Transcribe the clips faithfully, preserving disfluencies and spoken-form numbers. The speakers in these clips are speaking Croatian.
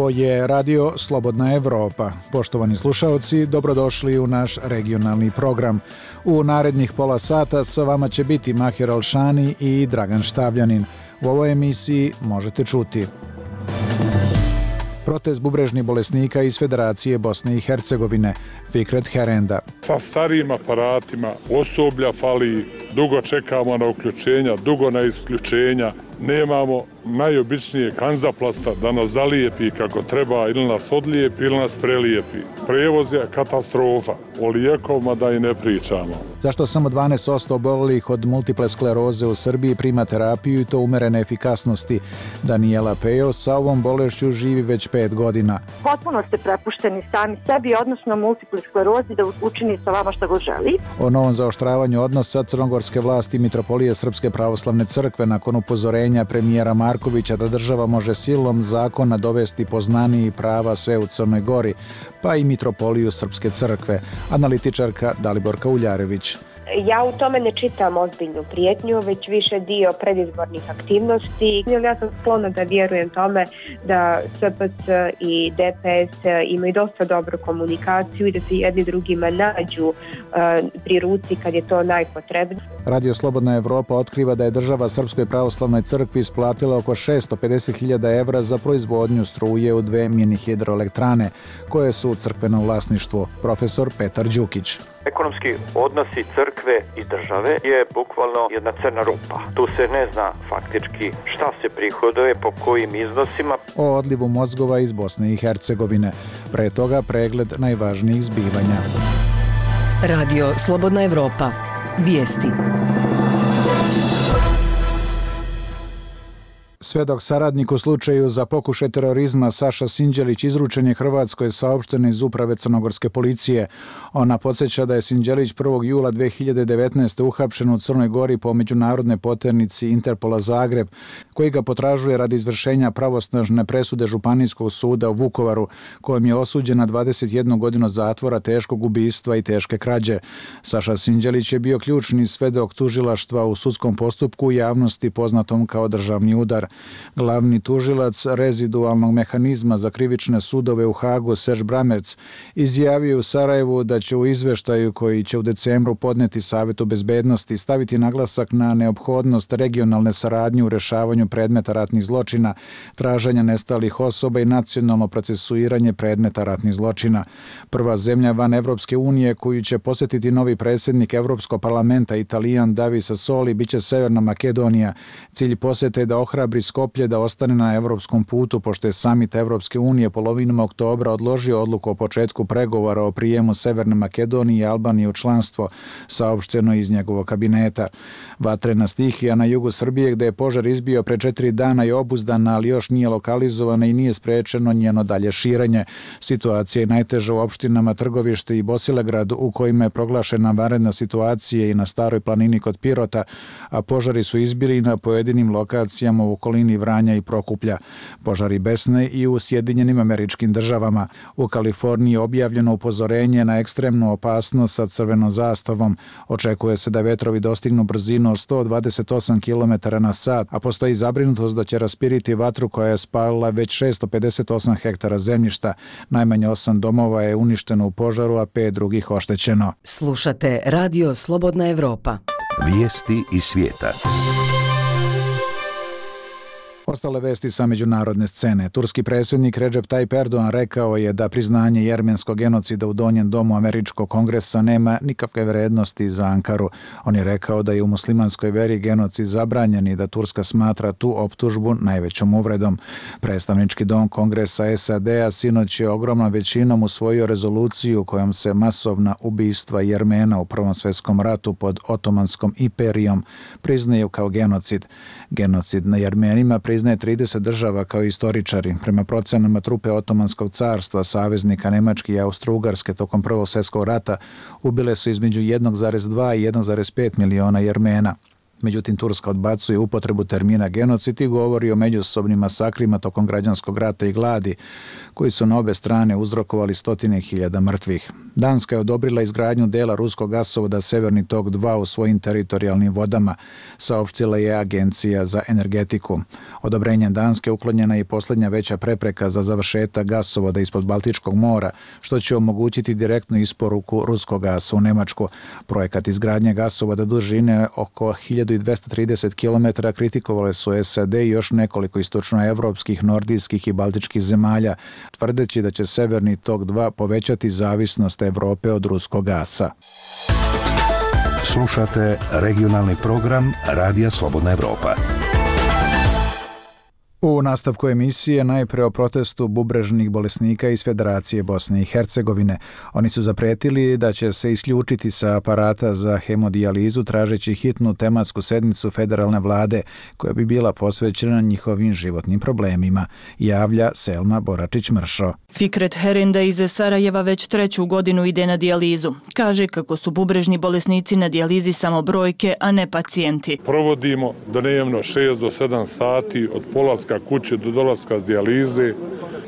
Ovo je Radio Slobodna Evropa. Poštovani slušaoci, dobrodošli u naš regionalni program. U narednih pola sata sa vama će biti Mahir Alšani i Dragan Štavljanin. U ovoj emisiji možete čuti protest bubrežnih bolesnika iz Federacije Bosne i Hercegovine, Fikret Herenda. Sa starijim aparatima osoblja fali, dugo čekamo na uključenja, dugo na isključenja, nemamo najobičnije kanzaplasta da nas zalijepi kako treba ili nas odlijepi ili nas prelijepi. Prevoz je katastrofa, o lijekovima da i ne pričamo. Zašto samo dvanaest posto obolelih od multiple skleroze u Srbiji prima terapiju i to umerene efikasnosti? Danijela Pejo sa ovom bolešću živi već pet godina. Potpuno ste prepušteni sami sebi, odnosno multiple sklerozi, da učini sa vama što god želi. O novom zaoštravanju odnosa crnogorske vlasti i Mitropolije Srpske pravoslavne crkve nakon upozorenja premijera Markovića da država može silom zakona dovesti poznaniji prava sve u Crnoj Gori, pa i Mitropoliju Srpske crkve. Analitičarka Daliborka Uljarević. Ja u tome ne čitam ozbiljnu prijetnju, već više dio predizbornih aktivnosti. Ja sam sklona da vjerujem tome da S P C i D P S imaju dosta dobru komunikaciju i da se jedni drugima nađu uh, pri ruci kad je to najpotrebnije. Radio Slobodna Evropa otkriva da je država Srpskoj pravoslavnoj crkvi isplatila oko šesto pedeset hiljada evra za proizvodnju struje u dve mini hidroelektrane, koje su u crkvenom vlasništvu. Profesor Petar Đukić. Ekonomski odnosi crkve i države je bukvalno jedna crna rupa. Tu se ne zna faktički šta se prihoduje, po kojim iznosima. O odlivu mozgova iz Bosne i Hercegovine. Pre toga pregled najvažnijih zbivanja. Radio Slobodna Evropa. Vijesti. Svedok saradnik u slučaju za pokušaj terorizma Saša Sinđelić izručen je Hrvatskoj, saopšteno iz uprave crnogorske policije. Ona podsjeća da je Sinđelić prvog jula dve hiljade devetnaeste. uhapšen u Crnoj Gori po međunarodnoj poternici Interpola Zagreb, koji ga potražuje radi izvršenja pravosnažne presude Županijskog suda u Vukovaru, kojom je osuđen na dvadeset jednu godinu zatvora, teškog ubistva i teške krađe. Saša Sinđelić je bio ključni svedok tužilaštva u sudskom postupku u javnosti poznatom kao državni udar. Glavni tužilac rezidualnog mehanizma za krivične sudove u Hagu, Serž Bramerc, izjavio u Sarajevu da će u izveštaju koji će u decembru podneti Savetu bezbednosti staviti naglasak na neophodnost regionalne saradnje u rešavanju predmeta ratnih zločina, traženja nestalih osoba i nacionalno procesuiranje predmeta ratnih zločina. Prva zemlja van Evropske unije koju će posjetiti novi predsjednik Evropskog parlamenta, Italijan David Sassoli, biće Severna Makedonija. Cilj posjete je da ohrabri Skoplje da ostane na evropskom putu, pošto je samit Evropske unije polovinom oktobra odložio odluku o početku pregovora o prijemu Severne Makedonije i Albanije u članstvo, saopšteno iz njegovog kabineta. Vatrena stihija na jugu Srbije, gde je požar izbio pre četiri dana, je obuzdana, ali još nije lokalizovana i nije sprečeno njeno dalje širenje. Situacija je najteža u opštinama Trgovište i Bosilegrad, u kojima je proglašena vanredna situacija, i na Staroj planini kod Pirota, a požari su izbili na pojedinim lokacijama u okolini Vranja i Prokuplja. Požari besne i u Sjedinjenim Američkim Državama. U Kaliforniji je objavljeno upozorenje na ekstremnu opasnost sa crvenom zastavom. Očekuje se da vetrovi dostignu brzinu od sto dvadeset osam kilometara na sat, a postoji zabrinutost da će raspiriti vatru koja je spalila već šesto pedeset osam hektara zemljišta. Najmanje osam domova je uništeno u požaru, a pet drugih oštećeno. Slušate Radio Slobodna Evropa. Vijesti iz svijeta. Ostale vesti sa međunarodne scene. Turski predsjednik Recep Tayyip Erdogan rekao je da priznanje jermenskog genocida u Donjem domu Američkog kongresa nema nikakve vrednosti za Ankaru. On je rekao da je u muslimanskoj veri genocid zabranjen i da Turska smatra tu optužbu najvećom uvredom. Predstavnički dom kongresa S A D-a sinoć je ogromnom većinom usvojio rezoluciju kojom se masovna ubistva Jermena u Prvom svjetskom ratu pod Otomanskom imperijom priznaju kao genocid. Genocid na Jermenima priznaje trideset država kao istoričari. Prema procenama trupe Otomanskog carstva, saveznika Nemačke i Austro-Ugarske tokom Prvog svjetskog rata ubile su između jedan zarez dva i jedan zarez pet miliona Jermena. Međutim, Turska odbacuje upotrebu termina genocid i govori o međusobnim masakrima tokom građanskog rata i gladi, koji su na obe strane uzrokovali stotine hiljada mrtvih. Danska je odobrila izgradnju dela ruskog gasovoda Severni tok dva u svojim teritorijalnim vodama, saopštila je Agencija za energetiku. Odobrenjem Danske uklonjena je i posljednja veća prepreka za završetak gasovoda ispod Baltičkog mora, što će omogućiti direktnu isporuku ruskog gasa u Nemačku. Projekat izgradnje gasovoda dužine oko hiljadu dvesta trideset kilometara kritikovale su S A D i još nekoliko istočnoevropskih, nordijskih i baltičkih zemalja, tvrdeći da će Severni tok dva povećati zavisnost Evrope od ruskog gasa. Slušate regionalni program Radija Slobodna Evropa. U nastavku emisije najpre o protestu bubrežnih bolesnika iz Federacije Bosne i Hercegovine. Oni su zaprijetili da će se isključiti sa aparata za hemodijalizu tražeći hitnu tematsku sednicu federalne vlade koja bi bila posvećena njihovim životnim problemima, javlja Selma Boračić-Mršo. Fikret Herenda iz Sarajeva već treću godinu ide na dijalizu. Kaže kako su bubrežni bolesnici na dijalizi samo brojke, a ne pacijenti. Provodimo dnevno šest do sedam sati od polaska kuće do dolaska s dijalize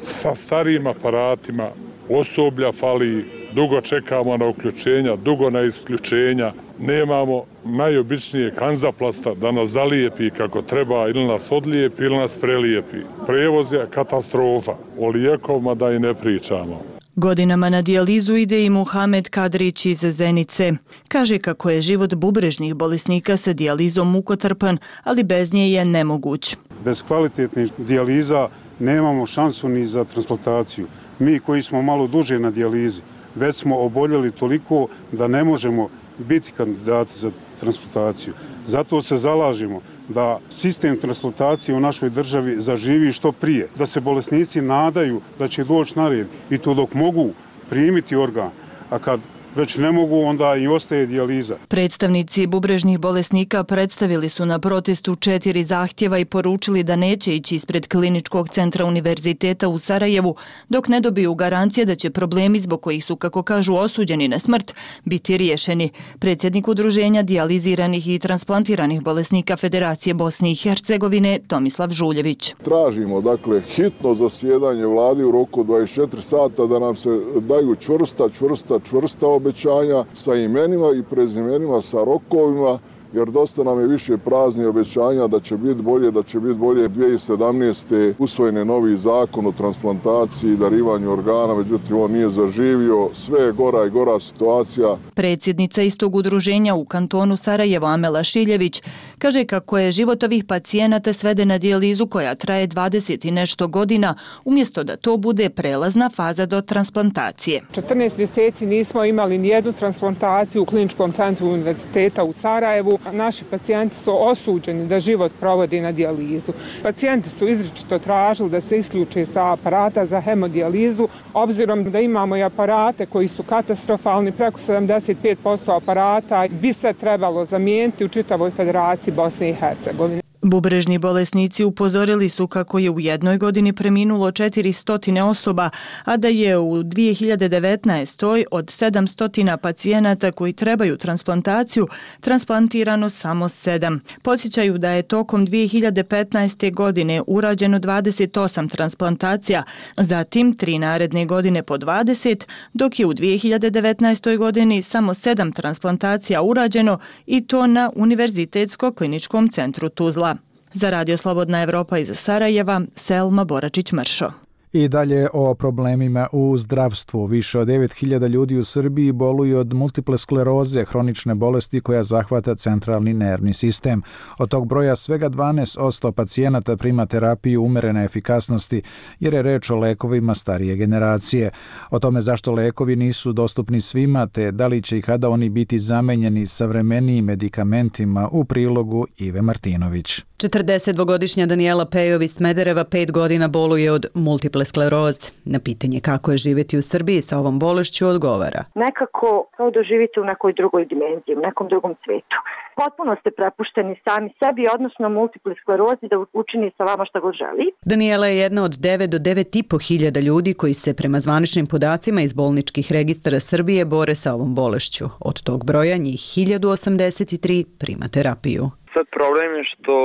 sa starijim aparatima, osoblja fali, dugo čekamo na uključenja, dugo na isključenja, nemamo najobičnije kanzaplasta da nas zalijepi kako treba ili nas odlijepi ili nas prelijepi. Prevoz je katastrofa, o lijekovima da i ne pričamo. Godinama na dijalizu ide i Muhamed Kadrić iz Zenice. Kaže kako je život bubrežnih bolesnika sa dijalizom mukotrpan, ali bez nje je nemoguć. Bez kvalitetnih dijaliza nemamo šansu ni za transplantaciju. Mi koji smo malo duže na dijalizi, već smo oboljeli toliko da ne možemo biti kandidati za transplantaciju. Zato se zalažemo da sistem transplantacije u našoj državi zaživi što prije, da se bolesnici nadaju da će doći na red i to dok mogu primiti organ, a kad već ne mogu, onda i ostaje dijaliza. Predstavnici bubrežnih bolesnika predstavili su na protestu četiri zahtjeva i poručili da neće ići ispred Kliničkog centra univerziteta u Sarajevu dok ne dobiju garancije da će problemi zbog kojih su, kako kažu, osuđeni na smrt biti riješeni. Predsjednik udruženja dijaliziranih i transplantiranih bolesnika Federacije Bosne i Hercegovine Tomislav Žuljević. Tražimo dakle hitno zasjedanje vlade u roku dvadeset četiri sata da nam se daju čvrsta, čvrsta, čvrsta obećanja sa imenima i prezimenima, sa rokovima, jer dosta nam je više prazni obećanja da će biti bolje, da će biti bolje. dvije tisuće sedamnaeste. usvojen je novi zakon o transplantaciji i darivanju organa, međutim on nije zaživio, sve je gora i gora situacija. Predsjednica istog udruženja u kantonu Sarajevo Amela Šiljević kaže kako je život ovih pacijenata sveden na dijalizu koja traje dvadeset i nešto godina, umjesto da to bude prelazna faza do transplantacije. četrnaest mjeseci nismo imali nijednu transplantaciju u Kliničkom centru univerziteta u Sarajevu. Naši pacijenti su osuđeni da život provodi na dijalizu. Pacijenti su izričito tražili da se isključe sa aparata za hemodijalizu, obzirom da imamo i aparate koji su katastrofalni, preko sedamdeset pet posto aparata bi se trebalo zamijeniti u čitavoj Federaciji Bosne i Hercegovine. Bubrežni bolesnici upozorili su kako je u jednoj godini preminulo četiristo osoba, a da je u dvije hiljade devetnaestoj. od sedamsto pacijenata koji trebaju transplantaciju transplantirano samo sedam. Podsjećaju da je tokom dvije hiljade petnaeste. godine urađeno dvadeset osam transplantacija, zatim tri naredne godine po dvadeset, dok je u dvije hiljade devetnaestoj. godini samo sedam transplantacija urađeno i to na Univerzitetsko-kliničkom centru Tuzla. Za Radio Slobodna Evropa iz Sarajeva, Selma Boračić-Mršo. I dalje o problemima u zdravstvu. Više od devet hiljada ljudi u Srbiji boluju od multiple skleroze, hronične bolesti koja zahvata centralni nervni sistem. Od tog broja svega dvanaest posto pacijenata prima terapiju umerene efikasnosti, jer je reč o lekovima starije generacije. O tome zašto lekovi nisu dostupni svima, te da li će i kada oni biti zamenjeni savremenijim medikamentima, u prilogu Ive Martinović. četrdesetdvogodišnja Danijela Pejov iz Smedereva pet godina boluje od multiple skleroze. Na pitanje kako je živjeti u Srbiji sa ovom bolešću odgovara. Nekako kao da živite u nekoj drugoj dimenziji, u nekom drugom svijetu. Potpuno ste prepušteni sami sebi, odnosno multiple sklerozi da učini sa vama šta god želi. Danijela je jedna od devet do devet i po hiljada ljudi koji se prema zvaničnim podacima iz bolničkih registara Srbije bore sa ovom bolešću. Od tog broja njih hiljadu osamdeset tri prima terapiju. Sad problem je što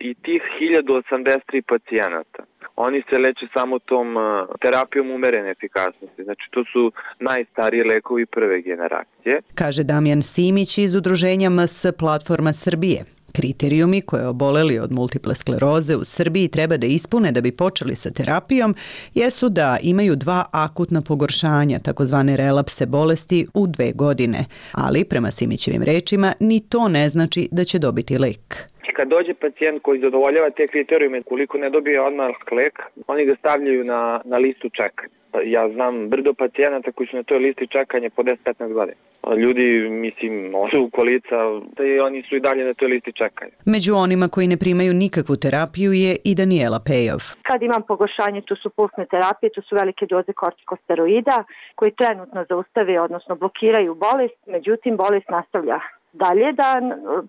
i tih hiljadu osamdeset tri pacijenata, oni se leče samo tom terapijom umerene efikasnosti. Znači, to su najstariji lekovi prve generacije. Kaže Damjan Simić iz udruženja M S Platforma Srbije. Kriterijumi koje oboleli od multiple skleroze u Srbiji treba da ispune da bi počeli sa terapijom jesu da imaju dva akutna pogoršanja, takozvane relapse bolesti, u dve godine. Ali, prema Simićevim rečima, ni to ne znači da će dobiti lek. Kad dođe pacijent koji zadovoljava te kriterijume, koliko ne dobije odmah lek, oni ga stavljaju na, na listu čekanja. Ja znam brdo pacijenata koji su na toj listi čekanja po deset do petnaest godina. Ljudi, mislim, odu u kolica i oni su i dalje na toj listi čekanja. Među onima koji ne primaju nikakvu terapiju je i Daniela Pejov. Kad imam pogoršanje, to su pulsne terapije, to su velike doze kortikosteroida koji trenutno zaustave, odnosno blokiraju bolest, međutim bolest nastavlja dalje da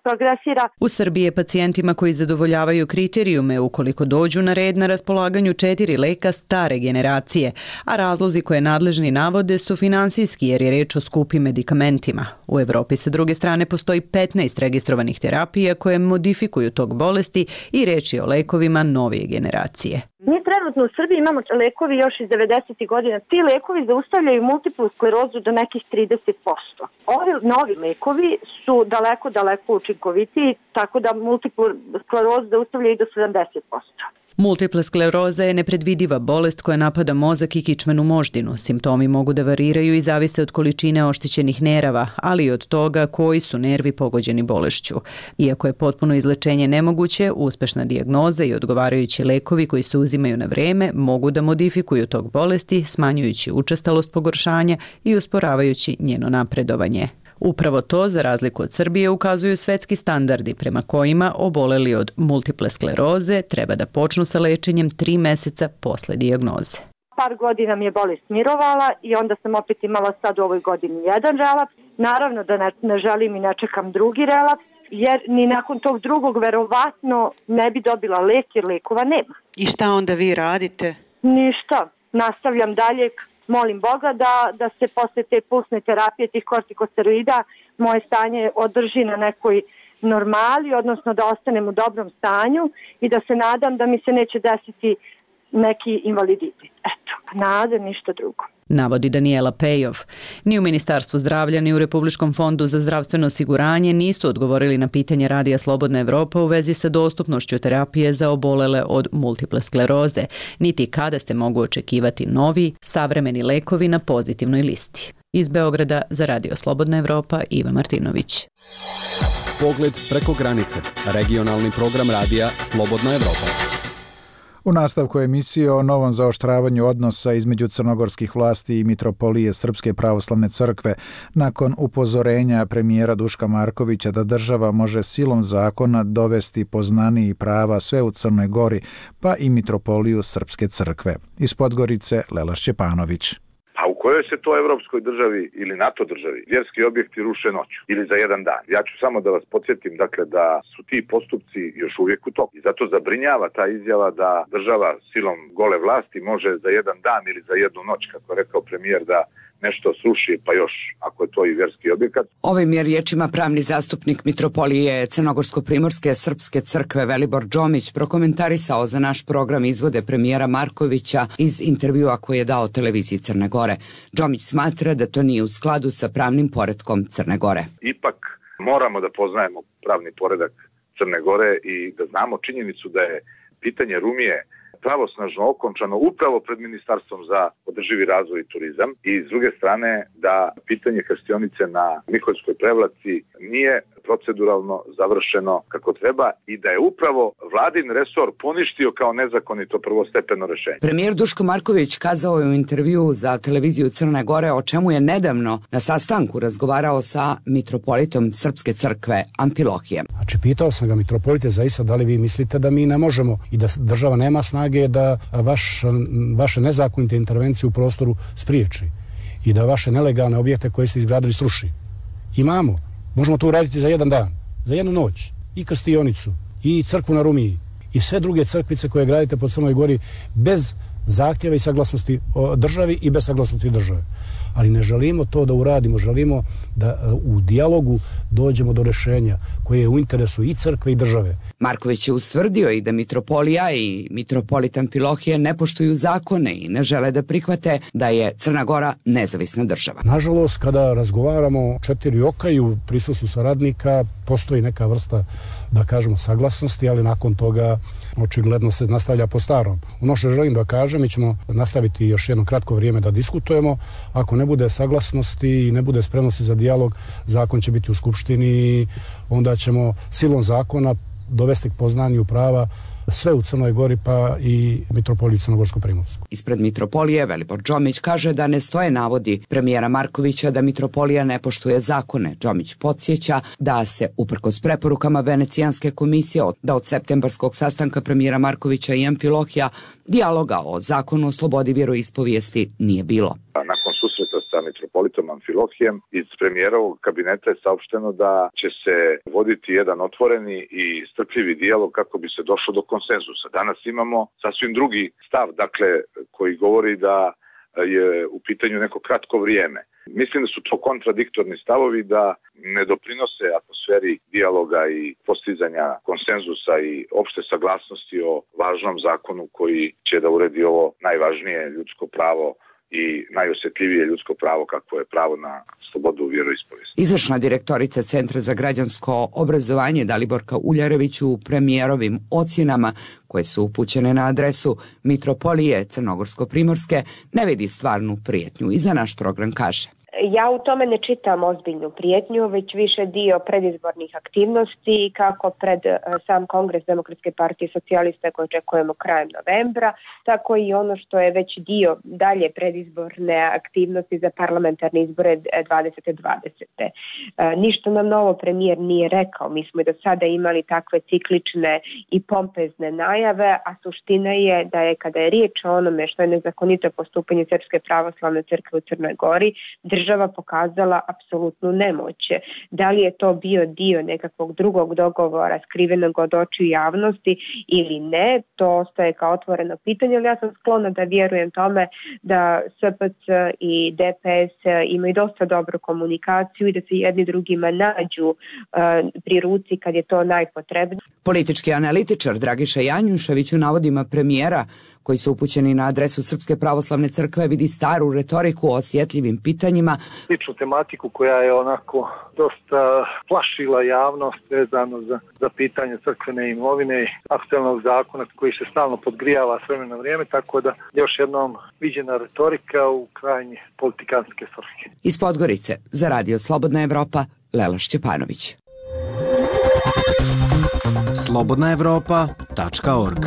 progresira. U Srbiji je pacijentima koji zadovoljavaju kriterijume ukoliko dođu na red na raspolaganju četiri leka stare generacije, a razlozi koje nadležni navode su finansijski jer je reč o skupim medikamentima. U Evropi sa druge strane postoji petnaest registrovanih terapija koje modifikuju tok bolesti i reč je o lekovima novije generacije. Mi trenutno u Srbiji imamo lekovi još iz devedesetih godina. Ti lekovi zaustavljaju multiplu sklerozu do nekih trideset posto. Ovi novi lekovi su daleko, daleko učinkovitiji, tako da multiplu sklerozu zaustavljaju do sedamdeset posto. Multiple skleroza je nepredvidiva bolest koja napada mozak i kičmenu moždinu. Simptomi mogu da variraju i zavise od količine oštećenih nerava, ali i od toga koji su nervi pogođeni bolešću. Iako je potpuno izlečenje nemoguće, uspešna dijagnoza i odgovarajući lekovi koji se uzimaju na vreme mogu da modifikuju tok bolesti, smanjujući učestalost pogoršanja i usporavajući njeno napredovanje. Upravo to, za razliku od Srbije, ukazuju svetski standardi prema kojima oboleli od multiple skleroze treba da počnu sa lečenjem tri meseca posle dijagnoze. Par godina mi je bolest mirovala i onda sam opet imala sad u ovoj godini jedan relaps. Naravno da ne, ne želim i ne čekam drugi relaps, jer ni nakon tog drugog verovatno ne bi dobila lek jer lekova nema. I šta onda vi radite? Ništa. Nastavljam dalje. Molim Boga da, da se posle te pulsne terapije, tih kortikosteroida, moje stanje održi na nekoj normali, odnosno da ostanem u dobrom stanju i da se nadam da mi se neće desiti neki invaliditet. Eto, nada, ništa drugo. Navodi Daniela Pejov. Ni u Ministarstvu zdravlja, ni u Republičkom fondu za zdravstveno osiguranje nisu odgovorili na pitanje Radija Slobodna Evropa u vezi sa dostupnošću terapije za obolele od multiple skleroze, niti kada se mogu očekivati novi, savremeni lekovi na pozitivnoj listi. Iz Beograda za Radio Slobodna Evropa, Iva Martinović. Pogled preko granice. Regionalni program Radija Slobodna Evropa. U nastavku emisije o novom zaoštravanju odnosa između crnogorskih vlasti i Mitropolije Srpske pravoslavne crkve nakon upozorenja premijera Duška Markovića da država može silom zakona dovesti poznaniji prava sve u Crnoj Gori, pa i Mitropoliju Srpske crkve. Iz Podgorice Lela Šćepanović. A u kojoj se to evropskoj državi ili NATO državi vjerski objekti ruše noću ili za jedan dan? Ja ću samo da vas podsjetim, dakle, da su ti postupci još uvijek u toku. I zato zabrinjava ta izjava da država silom gole vlasti može za jedan dan ili za jednu noć, kako je rekao premijer, da nešto sruši, pa još, ako je to i vjerski objekat. Ovim je riječima pravni zastupnik Mitropolije Crnogorsko-Primorske Srpske crkve Velibor Džomić prokomentarisao za naš program izvode premijera Markovića iz intervjua koji je dao televiziji Crne Gore. Džomić smatra da to nije u skladu sa pravnim poretkom Crne Gore. Ipak moramo da poznajemo pravni poredak Crne Gore i da znamo činjenicu da je pitanje Rumije pravosnažno okončano upravo pred Ministarstvom za održivi razvoj i turizam i s druge strane da pitanje krstionice na Miholjskoj Prevlaci nije proceduralno završeno kako treba i da je upravo vladin resor poništio kao nezakonito prvostepeno rešenje. Premijer Duško Marković kazao je u intervju za televiziju Crne Gore o čemu je nedavno na sastanku razgovarao sa mitropolitom Srpske crkve Amfilohijem. Znači, pitao sam ga, mitropolite, zaista da li vi mislite da mi ne možemo i da država nema snage da vaš, vaše nezakonite intervencije u prostoru spriječi i da vaše nelegalne objekte koje ste izgradili sruši? Imamo. Možemo to uraditi za jedan dan, za jednu noć. I krstionicu, i crkvu na Rumiji, i sve druge crkvice koje gradite po Crnoj Gori bez zahtjeva i saglasnosti državi i bez saglasnosti države. ali ne želimo to da uradimo, želimo da u dijalogu dođemo do rješenja koje je u interesu i crkve i države. Marković je ustvrdio i da mitropolija i mitropolitan Amfilohije ne poštuju zakone i ne žele da prihvate da je Crna Gora nezavisna država. Nažalost, kada razgovaramo četiri oka i u prisustvu saradnika, postoji neka vrsta, da kažemo, saglasnosti, ali nakon toga očigledno se nastavlja po starom. Ono što želim da kažem, mi ćemo nastaviti još jedno kratko vrijeme da diskutujemo. Ako ne bude saglasnosti i ne bude spremnosti za dijalog, zakon će biti u Skupštini i onda ćemo silom zakona dovesti k poznanju prava sve u Crnoj Gori, pa i mitropoliju Crnogorsko-Primorsku. Ispred mitropolije Velibor Džomić kaže da ne stoje navodi premijera Markovića da mitropolija ne poštuje zakone. Džomić podsjeća da se, uprkos preporukama Venecijanske komisije, da od septembarskog sastanka premijera Markovića i Amfilohija dijaloga o zakonu o slobodi vjeroispovijesti nije bilo. Nakon susreta sa mitropolitom Amfilohijem iz premijerovog kabineta je saopšteno da će se voditi jedan otvoreni i strpljivi dijalog kako bi se došlo do konsenzusa. Danas imamo sasvim drugi stav, dakle, koji govori da je u pitanju neko kratko vrijeme. Mislim da su to kontradiktorni stavovi, da ne doprinose atmosferi dijaloga i postizanja konsenzusa i opšte saglasnosti o važnom zakonu koji će da uredi ovo najvažnije ljudsko pravo i najosjetljivije ljudsko pravo kako je pravo na slobodu vjeroispovijesti. Izvršna direktorica Centra za građansko obrazovanje Daliborka Uljarević u premijerovim ocjenama koje su upućene na adresu mitropolije Crnogorsko-Primorske ne vidi stvarnu prijetnju i za naš program kaže: Ja u tome ne čitam ozbiljnu prijetnju, već više dio predizbornih aktivnosti kako pred sam Kongres Demokratske partije socijalista koji očekujemo krajem novembra, tako i ono što je već dio dalje predizborne aktivnosti za parlamentarne izbore dvadeset dvadeset. Ništa nam novo premijer nije rekao, mi smo i do sada imali takve ciklične i pompezne najave, a suština je da je kada je riječ o onome što je nezakonito postupanje Srpske pravoslavne crkve u Crnoj Gori, država pokazala apsolutnu nemoć. Da li je to bio dio nekakvog drugog dogovora skrivenog od očiju javnosti ili ne, to ostaje kao otvoreno pitanje, ali ja sam sklona da vjerujem tome da S P C i D P S imaju dosta dobru komunikaciju i da se jedni drugima nađu uh, pri ruci kad je to najpotrebnije. Politički analitičar Dragiša Janjušević u navodima premijera koji su upućeni na adresu Srpske pravoslavne crkve vidi staru retoriku o osjetljivim pitanjima. Sličnu tematiku koja je onako dosta plašila javnost vezano za, za pitanje crkvene imovine i aktualnog zakona koji se stalno podgrijava s vremena na vrijeme, tako da još jednom viđena retorika u krajnje politikanske svrhe. Iz Podgorice za Radio Slobodna Evropa, Lela Šćepanović. slobodna evropa tačka org.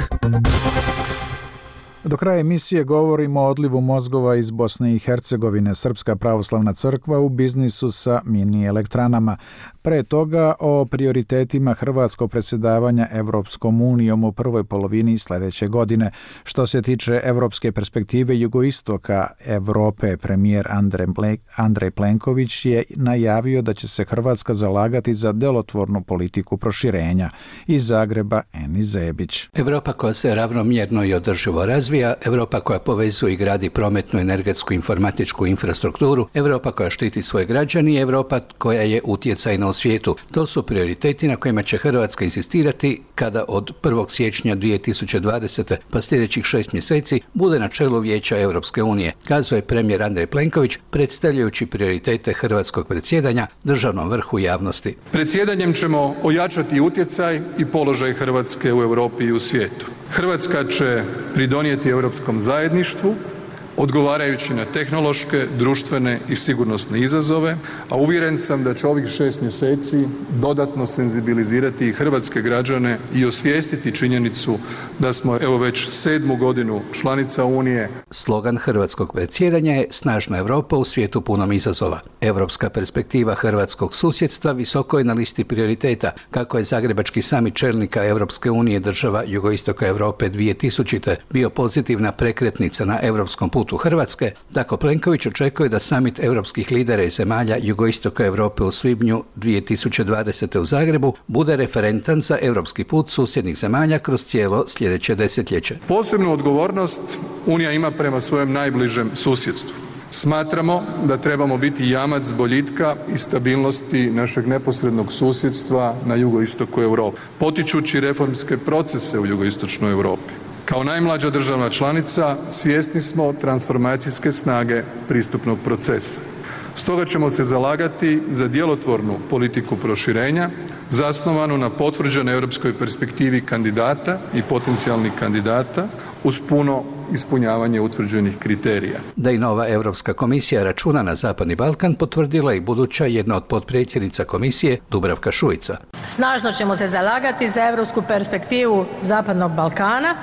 Do kraja emisije govorimo o odlivu mozgova iz Bosne i Hercegovine. Srpska pravoslavna crkva u biznisu sa mini elektranama. Pre toga o prioritetima hrvatskog predsjedavanja Evropskom unijom u prvoj polovini sljedeće godine. Što se tiče evropske perspektive jugoistoka Evrope, premijer Andrej Plenković je najavio da će se Hrvatska zalagati za delotvornu politiku proširenja. Iz Zagreba Eni Zebić. Evropa koja se ravnomjerno i održivo razvija, Evropa koja povezuje i gradi prometnu, energetsku, informatičku infrastrukturu, Evropa koja štiti svoje građani i Evropa koja je utjecajna u svijetu. To su prioriteti na kojima će Hrvatska insistirati kada od prvog siječnja dvije tisuće dvadesete pa sljedećih šest mjeseci bude na čelu Vijeća Europske unije, kazao je premijer Andrej Plenković predstavljajući prioritete hrvatskog predsjedanja državnom vrhu javnosti. Predsjedanjem ćemo ojačati utjecaj i položaj Hrvatske u Europi i u svijetu. Hrvatska će pridonijeti europskom zajedništvu odgovarajući na tehnološke, društvene i sigurnosne izazove, a uvjeren sam da će ovih šest mjeseci dodatno senzibilizirati i hrvatske građane i osvijestiti činjenicu da smo evo već sedmu godinu članica Unije. Slogan hrvatskog predsjedanja je Snažna Europa u svijetu punom izazova. Europska perspektiva hrvatskog susjedstva visoko je na listi prioriteta, kako je Zagrebački samit čelnika Europske unije država jugoistoka Europe dvije tisućite bio pozitivna prekretnica na europskom putu Hrvatske, tako Plenković očekuje da samit europskih lidera i zemalja jugoistoka Europe u svibnju dvije tisuće dvadesete u Zagrebu bude referentan za europski put susjednih zemalja kroz cijelo sljedeće desetljeće. Posebnu odgovornost Unija ima prema svojem najbližem susjedstvu. Smatramo da trebamo biti jamac boljitka i stabilnosti našeg neposrednog susjedstva na jugoistoku Europe, potičući reformske procese u jugoistočnoj Europi. Kao najmlađa državna članica svjesni smo transformacijske snage pristupnog procesa. Stoga ćemo se zalagati za djelotvornu politiku proširenja zasnovanu na potvrđenoj europskoj perspektivi kandidata i potencijalnih kandidata uz puno ispunjavanje utvrđenih kriterija. Da i nova Europska komisija računa na Zapadni Balkan potvrdila i buduća jedna od potpredsjednica komisije Dubravka Šuica. Snažno ćemo se zalagati za europsku perspektivu Zapadnog Balkana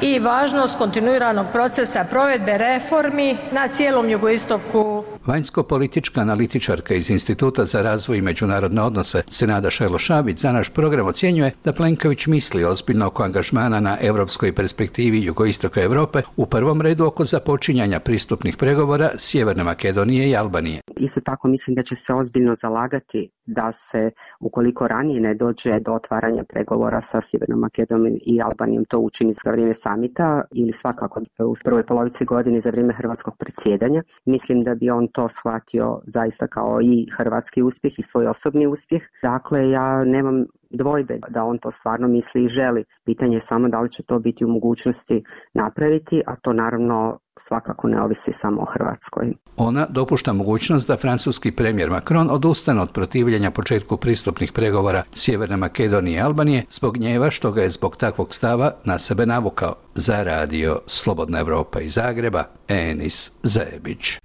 i važnost kontinuiranog procesa provedbe reformi na cijelom jugoistoku. Vanjsko-politička analitičarka iz Instituta za razvoj i međunarodne odnose Senada Šajlo-Šabić za naš program ocjenjuje da Plenković misli ozbiljno oko angažmana na europskoj perspektivi jugoistoka Europe, u prvom redu oko započinjanja pristupnih pregovora Sjeverne Makedonije i Albanije. Isto tako mislim da će se ozbiljno zalagati da se, ukoliko ranije ne dođe do otvaranja pregovora sa Sjevernom Makedonijom i Albanijom, to učini za vrijeme samita ili svakako u prvoj polovici godine za vrijeme hrvatskog predsjedanja. Mislim da bi on to shvatio zaista kao i hrvatski uspjeh i svoj osobni uspjeh. Dakle, ja nemam dvojbe da on to stvarno misli i želi. Pitanje je samo da li će to biti u mogućnosti napraviti, a to naravno svakako ne ovisi samo o Hrvatskoj. Ona dopušta mogućnost da francuski premijer Macron odustane od protivljenja početku pristupnih pregovora Sjeverne Makedonije i Albanije zbog gnjeva što ga je zbog takvog stava na sebe navukao. Za radio Slobodna Evropa iz Zagreba, Enis Zebić.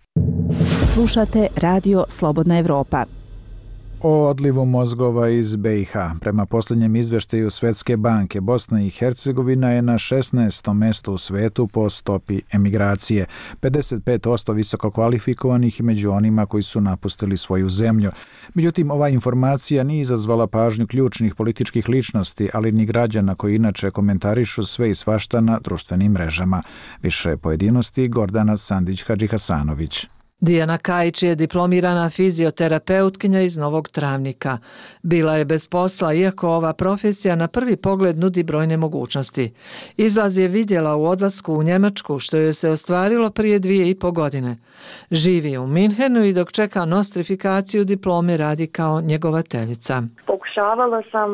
Slušate radio Slobodna Evropa. O odlivu mozgova iz be i ha. Prema posljednjem izvještaju Svjetske banke, Bosna i Hercegovina je na šesnaestom mjestu u svetu po stopi emigracije. pedeset pet posto visoko kvalifikovanih među onima koji su napustili svoju zemlju. Međutim, ova informacija nije izazvala pažnju ključnih političkih ličnosti, ali ni građana koji inače komentarišu sve i svašta na društvenim mrežama. Više pojedinosti Gordana Sandić-Hadžihasanović. Dijana Kajić je diplomirana fizioterapeutkinja iz Novog Travnika. Bila je bez posla, iako ova profesija na prvi pogled nudi brojne mogućnosti. Izlaz je vidjela u odlasku u Njemačku, što joj se ostvarilo prije dvije i po godine. Živi u Minhenu i dok čeka nostrifikaciju diplome radi kao njegovateljica. Pokušavala sam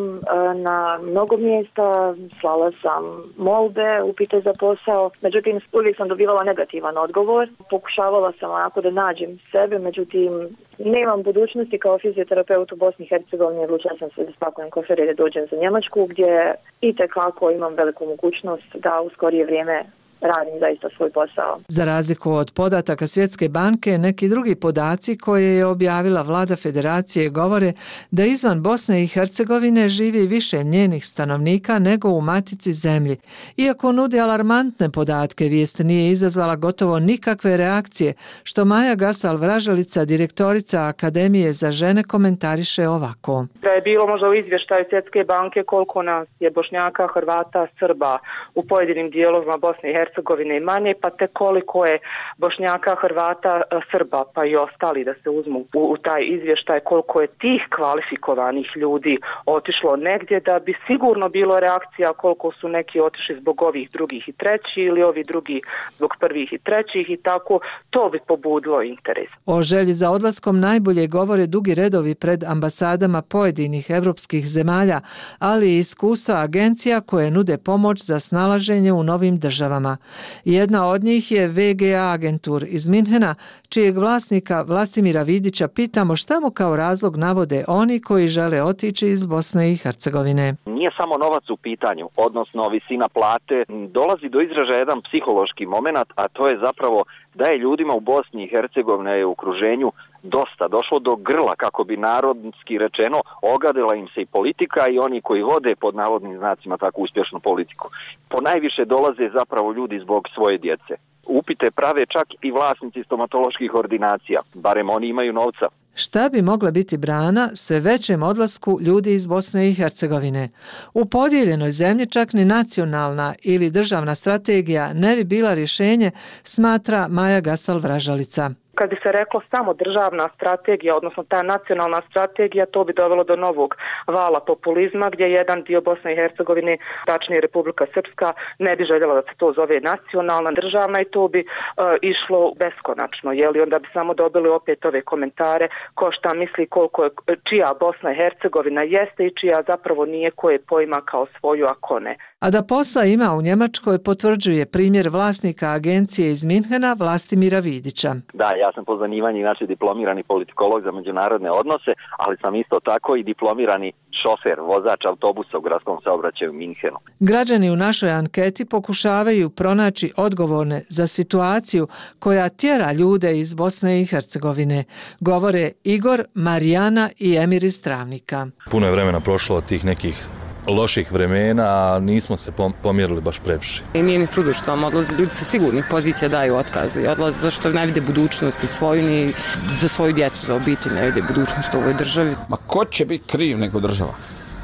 na mnogo mjesta, slala sam molbe, upite za posao, međutim uvijek sam dobivala negativan odgovor. Pokušavala sam onako da nađem sebe, međutim nemam budućnosti kao fizioterapeut u Bosni i Hercegovini, odlučila sam se da spakujem kofer i da dođem za Njemačku, gdje itekako imam veliku mogućnost da u skorije vrijeme radim zaista svoj posao. Za razliku od podataka Svjetske banke, neki drugi podaci koje je objavila vlada federacije govore da izvan Bosne i Hercegovine živi više njenih stanovnika nego u matici zemlji. Iako nudi alarmantne podatke, vijest nije izazvala gotovo nikakve reakcije, što Maja Gasal-Vražalica, direktorica Akademije za žene, komentariše ovako. Da je bilo možda u izvještaju Svjetske banke koliko nas je Bošnjaka, Hrvata, Srba u pojedinim dijelovima Bosne i Hercegovine Hercegovine manje, pa te koliko je Bošnjaka, Hrvata, Srba, pa i ostali da se uzmu u, u taj izvještaj, koliko je tih kvalifikovanih ljudi otišlo negdje, da bi sigurno bilo reakcija koliko su neki otišli zbog ovih drugih i trećih ili ovi drugi zbog prvih i trećih i tako, to bi pobudilo interes. O želji za odlaskom najbolje govore dugi redovi pred ambasadama pojedinih evropskih zemalja, ali i iskustva agencija koje nude pomoć za snalaženje u novim državama. Jedna od njih je ve ge a agentur iz Minhena, čijeg vlasnika Vlastimira Vidića pitamo šta mu kao razlog navode oni koji žele otići iz Bosne i Hercegovine. Nije samo novac u pitanju, odnosno visina plate, dolazi do izražaja jedan psihološki moment, a to je zapravo da je ljudima u Bosni i Hercegovini i okruženju dosta došlo do grla, kako bi narodski rečeno, ogadila im se i politika i oni koji vode pod navodnim znacima tako uspješnu politiku. Po najviše dolaze zapravo ljudi zbog svoje djece. Upite prave čak i vlasnici stomatoloških ordinacija, barem oni imaju novca. Šta bi mogla biti brana sve većem odlasku ljudi iz Bosne i Hercegovine? U podijeljenoj zemlji čak ni nacionalna ili državna strategija ne bi bila rješenje, smatra Maja Gasal-Vražalica. kad bi se reklo samo državna strategija, odnosno ta nacionalna strategija, to bi dovelo do novog vala populizma gdje jedan dio Bosne i Hercegovine, tačnije Republika Srpska, ne bi željela da se to zove nacionalna, državna i to bi uh, išlo beskonačno. Jeli? Onda bi samo dobili opet ove komentare ko šta misli koliko je, čija Bosna i Hercegovina jeste i čija zapravo nije, koje pojma kao svoju, a ko ne. A da posla ima u Njemačkoj potvrđuje primjer vlasnika agencije iz Minhena Vlastimira Vidića. Da, ja sam po zanimanju inače diplomirani politikolog za međunarodne odnose, ali sam isto tako i diplomirani šofer, vozač autobusa u gradskom saobraćaju u Minhenu. Građani u našoj anketi pokušavaju pronaći odgovorne za situaciju koja tjera ljude iz Bosne i Hercegovine, govore Igor, Marijana i Emir iz Travnika. Puno je vremena prošlo od tih nekih loših vremena, a nismo se pomjerili baš previše. I nije ni čudo što vam odlaze ljudi sa sigurnih pozicija, daju otkaze i odlaze zašto ne vide budućnosti svoju ni za svoju djecu, za obitelj, ne vide budućnost u ovoj državi. Ma ko će biti kriv nego država?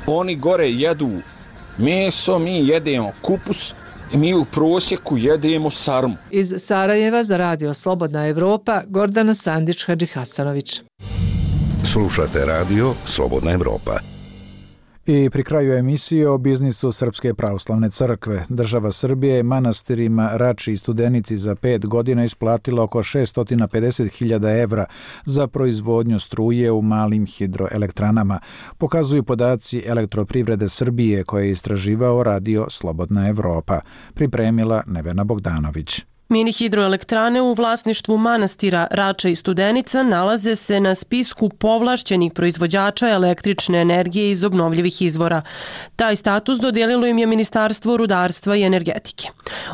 Oni gore jedu meso, mi jedemo kupus, mi u prosjeku jedemo sarmu. Iz Sarajeva za Radio Slobodna Evropa, Gordana Sandić-Hadžihasanović. Slušate Radio Slobodna Evropa. I pri kraju emisije o biznisu Srpske pravoslavne crkve. Država Srbije je manastirima Rači i Studenici za pet godina isplatila oko šesto pedeset hiljada evra za proizvodnju struje u malim hidroelektranama, pokazuju podaci Elektroprivrede Srbije koje je istraživao Radio Slobodna Evropa. Pripremila Nevena Bogdanović. Mini hidroelektrane u vlasništvu manastira Rača i Studenica nalaze se na spisku povlašćenih proizvođača električne energije iz obnovljivih izvora. Taj status dodijelilo im je Ministarstvo rudarstva i energetike.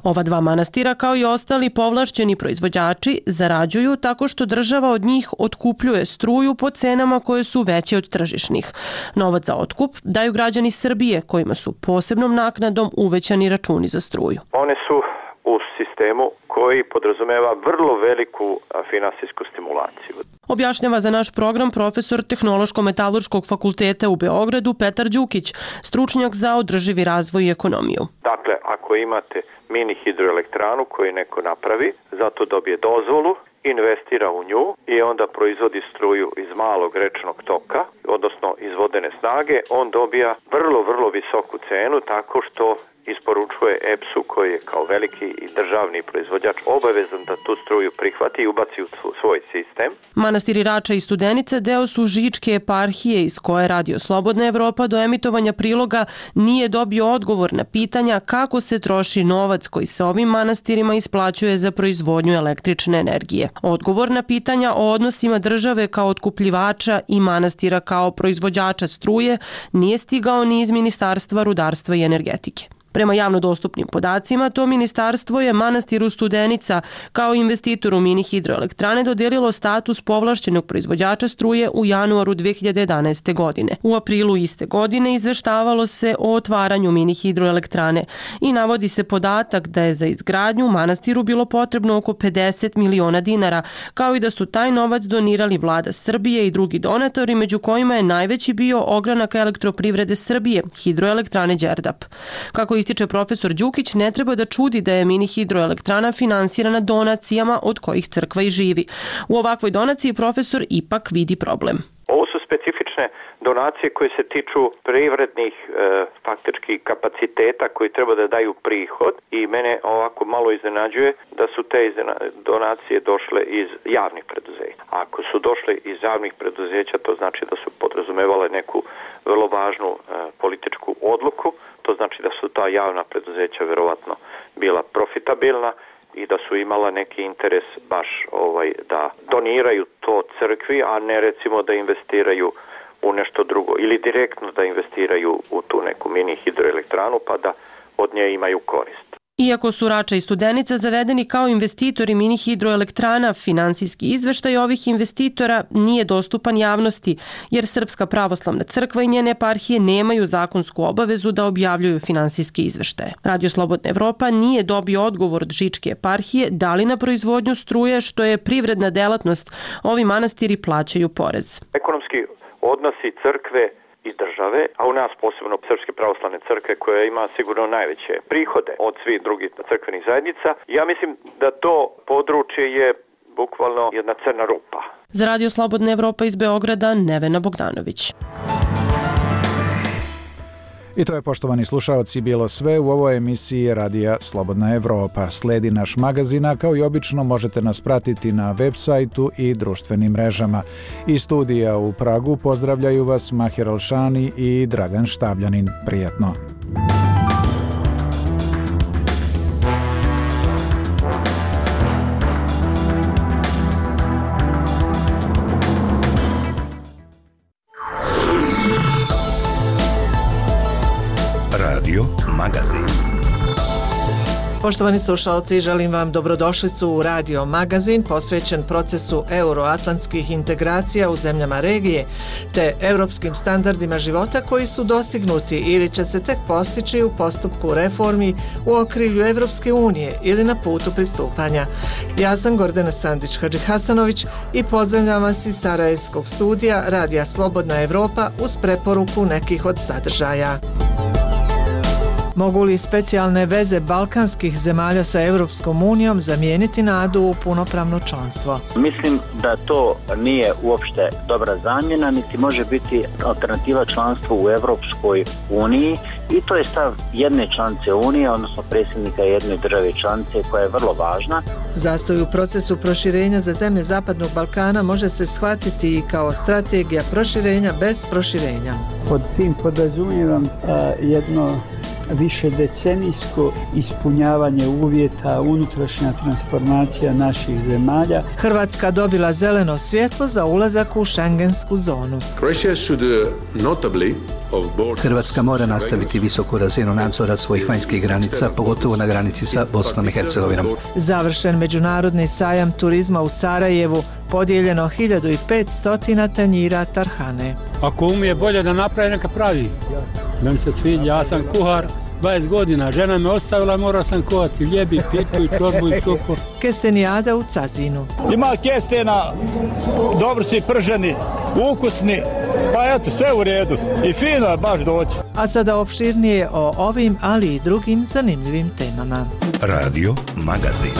Ova dva manastira, kao i ostali povlašćeni proizvođači, zarađuju tako što država od njih otkupljuje struju po cenama koje su veće od tržišnih. Novac za otkup daju građani Srbije, kojima su posebnom naknadom uvećani računi za struju. One su u sistemu koji podrazumeva vrlo veliku finansijsku stimulaciju. Objašnjava za naš program profesor Tehnološko-metalurškog fakulteta u Beogradu Petar Đukić, stručnjak za održivi razvoj i ekonomiju. Dakle, ako imate mini hidroelektranu koju neko napravi, zato dobije dozvolu, investira u nju i onda proizvodi struju iz malog rečnog toka, odnosno iz vodene snage, on dobija vrlo, vrlo visoku cenu tako što isporučuje E P S-u koji je kao veliki i državni proizvođač obavezan da tu struju prihvati i ubaci u svoj sistem. Manastiri Rača i Studenica deo su Žičke eparhije iz koje Radio Slobodna Evropa do emitovanja priloga nije dobio odgovor na pitanja kako se troši novac koji se ovim manastirima isplaćuje za proizvodnju električne energije. Odgovor na pitanja o odnosima države kao otkupljivača i manastira kao proizvođača struje nije stigao ni iz Ministarstva rudarstva i energetike. Prema javno dostupnim podacima, to ministarstvo je manastiru Studenica kao investitoru mini hidroelektrane dodijelilo status povlašćenog proizvođača struje u januaru dve hiljade jedanaeste. godine. U aprilu iste godine izveštavalo se o otvaranju mini hidroelektrane i navodi se podatak da je za izgradnju manastiru bilo potrebno oko pedeset miliona dinara, kao i da su taj novac donirali vlada Srbije i drugi donatori, među kojima je najveći bio ogranak Elektroprivrede Srbije, hidroelektrane Đerdap. Kako ističe profesor Đukić, ne treba da čudi da je mini hidroelektrana finansirana donacijama od kojih crkva i živi. U ovakvoj donaciji profesor ipak vidi problem. Ovo su specifične donacije koje se tiču privrednih e, faktički kapaciteta koji treba da daju prihod i mene ovako malo iznenađuje da su te donacije došle iz javnih preduzeća. Ako su došle iz javnih preduzeća, to znači da su podrazumevale neku vrlo važnu e, političku odluku. To znači da su ta javna preduzeća verovatno bila profitabilna i da su imala neki interes baš ovaj da doniraju to crkvi, a ne recimo da investiraju u nešto drugo ili direktno da investiraju u tu neku mini hidroelektranu pa da od nje imaju korist. Iako su Rača i Studenica zavedeni kao investitori mini hidroelektrana, finansijski izveštaj ovih investitora nije dostupan javnosti, jer Srpska pravoslavna crkva i njene eparhije nemaju zakonsku obavezu da objavljuju finansijske izveštaje. Radio Slobodna Evropa nije dobio odgovor od Žičke eparhije da li na proizvodnju struje, što je privredna delatnost, ovi manastiri plaćaju porez. Ekonomski odnosi crkve i države, a u nas posebno Srpske pravoslavne crkve koja ima sigurno najveće prihode od svih drugih crkvenih zajednica. Ja mislim da to područje je bukvalno jedna crna rupa. Za Radio Slobodna Evropa iz Beograda, Nevena Bogdanović. I to je, poštovani slušaoci, bilo sve u ovoj emisiji Radija Slobodna Evropa. Sledi naš magazina, kao i obično možete nas pratiti na web sajtu i društvenim mrežama. Iz studija u Pragu pozdravljaju vas Mahir Alšani i Dragan Štabljanin. Prijatno. Radio Magazin. Poštovani slušalci, želim vam dobrodošlicu u Radio Magazin posvećen procesu euroatlantskih integracija u zemljama regije te europskim standardima života koji su dostignuti ili će se tek postići u postupku reformi u okrilju Evropske unije ili na putu pristupanja. Ja sam Gordana Sandić-Hadžihasanović i pozdravljam vas iz Sarajevskog studija Radija Slobodna Evropa uz preporuku nekih od sadržaja. Mogu li specijalne veze balkanskih zemalja sa Evropskom unijom zamijeniti nadu u punopravno članstvo? Mislim da to nije uopšte dobra zamjena, niti može biti alternativa članstvu u Evropskoj uniji i to je stav jedne članice Unije, odnosno predsjednika jedne države članice koja je vrlo važna. Zastoj u procesu proširenja za zemlje Zapadnog Balkana može se shvatiti i kao strategija proširenja bez proširenja. Pod tim podrazumijevam jedno više decenijsko ispunjavanje uvjeta, unutrašnja transformacija naših zemalja. Hrvatska dobila zeleno svjetlo za ulazak u šengensku zonu. Hrvatska mora nastaviti visoku razinu nadzora svojih vanjskih granica, pogotovo na granici sa Bosnom i Hercegovinom. Završen međunarodni sajam turizma u Sarajevu, podijeljeno hiljadu petsto tanjira tarhane. Ako umije bolje da napravi, neka pravi. Meni se sviđa, ja sam kuhar dvadeset godina, žena me ostavila, morao sam kuhati ljebi, pitu i čorbu i supu. Kestenijada u Cazinu. Ima kestena, dobro si prženi, ukusni, pa eto, sve u redu i fino je baš doći. A sada opširnije o ovim, ali i drugim zanimljivim temama. Radio Magazin.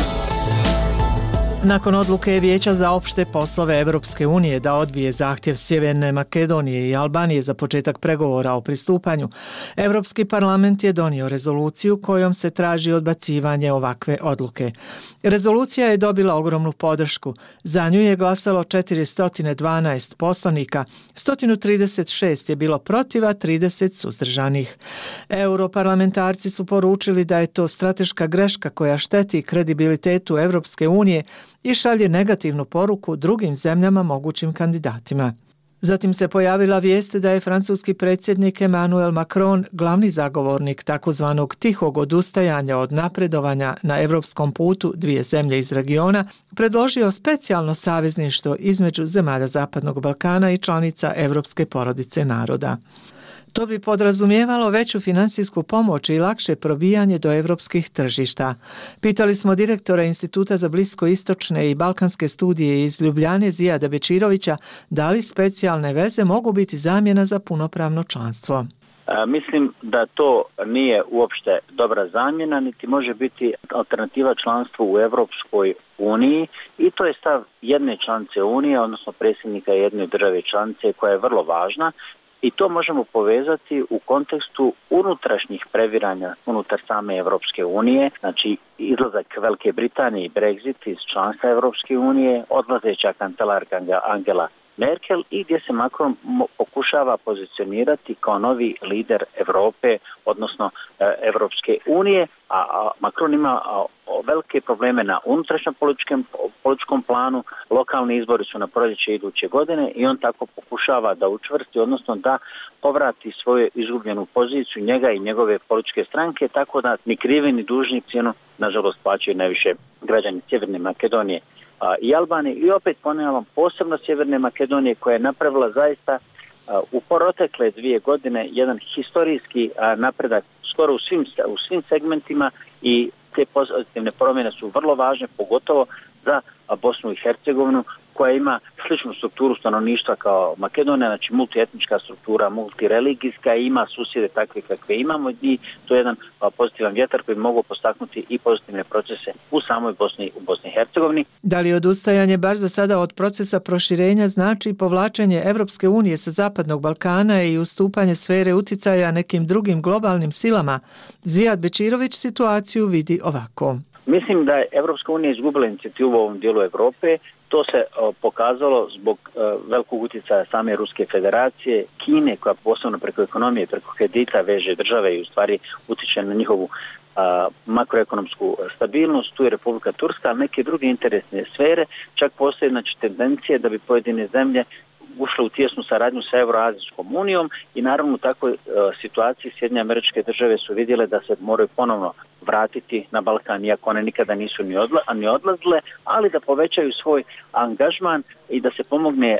Nakon odluke Vijeća za opšte poslove Evropske unije da odbije zahtjev Sjeverne Makedonije i Albanije za početak pregovora o pristupanju, Evropski parlament je donio rezoluciju kojom se traži odbacivanje ovakve odluke. Rezolucija je dobila ogromnu podršku. Za nju je glasalo četiristo dvanaest poslanika, sto trideset šest je bilo protiv, a trideset suzdržanih. Europarlamentarci su poručili da je to strateška greška koja šteti kredibilitetu Evropske unije i šalje negativnu poruku drugim zemljama mogućim kandidatima. Zatim se pojavila vijest da je francuski predsjednik Emmanuel Macron, glavni zagovornik takozvanog tihog odustajanja od napredovanja na evropskom putu dvije zemlje iz regiona, predložio specijalno savezništvo između zemalja Zapadnog Balkana i članica Evropske porodice naroda. To bi podrazumijevalo veću finansijsku pomoć i lakše probijanje do evropskih tržišta. Pitali smo direktora Instituta za bliskoistočne i balkanske studije iz Ljubljane Zijada Bečirovića da li specijalne veze mogu biti zamjena za punopravno članstvo. E, mislim da to nije uopšte dobra zamjena, niti može biti alternativa članstvu u Evropskoj uniji i to je stav jedne članice Unije, odnosno predsjednika jedne države članice koja je vrlo važna. I to možemo povezati u kontekstu unutrašnjih previranja unutar same Evropske unije, znači izlazak Velike Britanije i Brexit iz članstva Evropske unije, odlazeća kancelarka Angela Merkel i gdje se Macron pokušava pozicionirati kao novi lider Europe, odnosno Evropske unije, a Macron ima velike probleme na unutrašnjem političkom, političkom planu, lokalni izbori su na proljeće iduće godine i on tako pokušava da učvrsti, odnosno da povrati svoju izgubljenu poziciju njega i njegove političke stranke, tako da ni krivi ni dužni cijenu, nažalost, plaćaju najviše građani Sjeverne Makedonije i Albanije i opet ponavljam posebno Sjeverne Makedonije koja je napravila zaista u protekle dvije godine jedan historijski napredak skoro u svim, u svim segmentima i te pozitivne promjene su vrlo važne, pogotovo za Bosnu i Hercegovinu koja ima sličnu strukturu stanovništva kao Makedonija, znači multietnička struktura, multireligijska, i ima susjede takve kakve imamo i to je jedan pozitivan vjetar koji mogu postaknuti i pozitivne procese u samoj Bosni, u Bosni i Hercegovini. Da li odustajanje baš za sada od procesa proširenja znači povlačenje Evropske unije sa Zapadnog Balkana i ustupanje sfere uticaja nekim drugim globalnim silama? Zijad Bečirović situaciju vidi ovako. Mislim da je Evropska unija izgubila inicijativu u ovom dijelu Europe. To se o, pokazalo zbog o, velikog utjecaja same Ruske federacije, Kine koja posebno preko ekonomije, preko kredita veže države i u stvari utječe na njihovu a, makroekonomsku stabilnost. Tu je Republika Turska, ali neke druge interesne sfere. Čak postoje znači tendencije da bi pojedine zemlje ušle u tijesnu saradnju sa Euroazijskom unijom i naravno u takvoj e, situaciji Sjedinjene Američke Države su vidjele da se moraju ponovno vratiti na Balkan, iako one nikada nisu ni, odla, ni odlazile, ali da povećaju svoj angažman i da se pomogne e,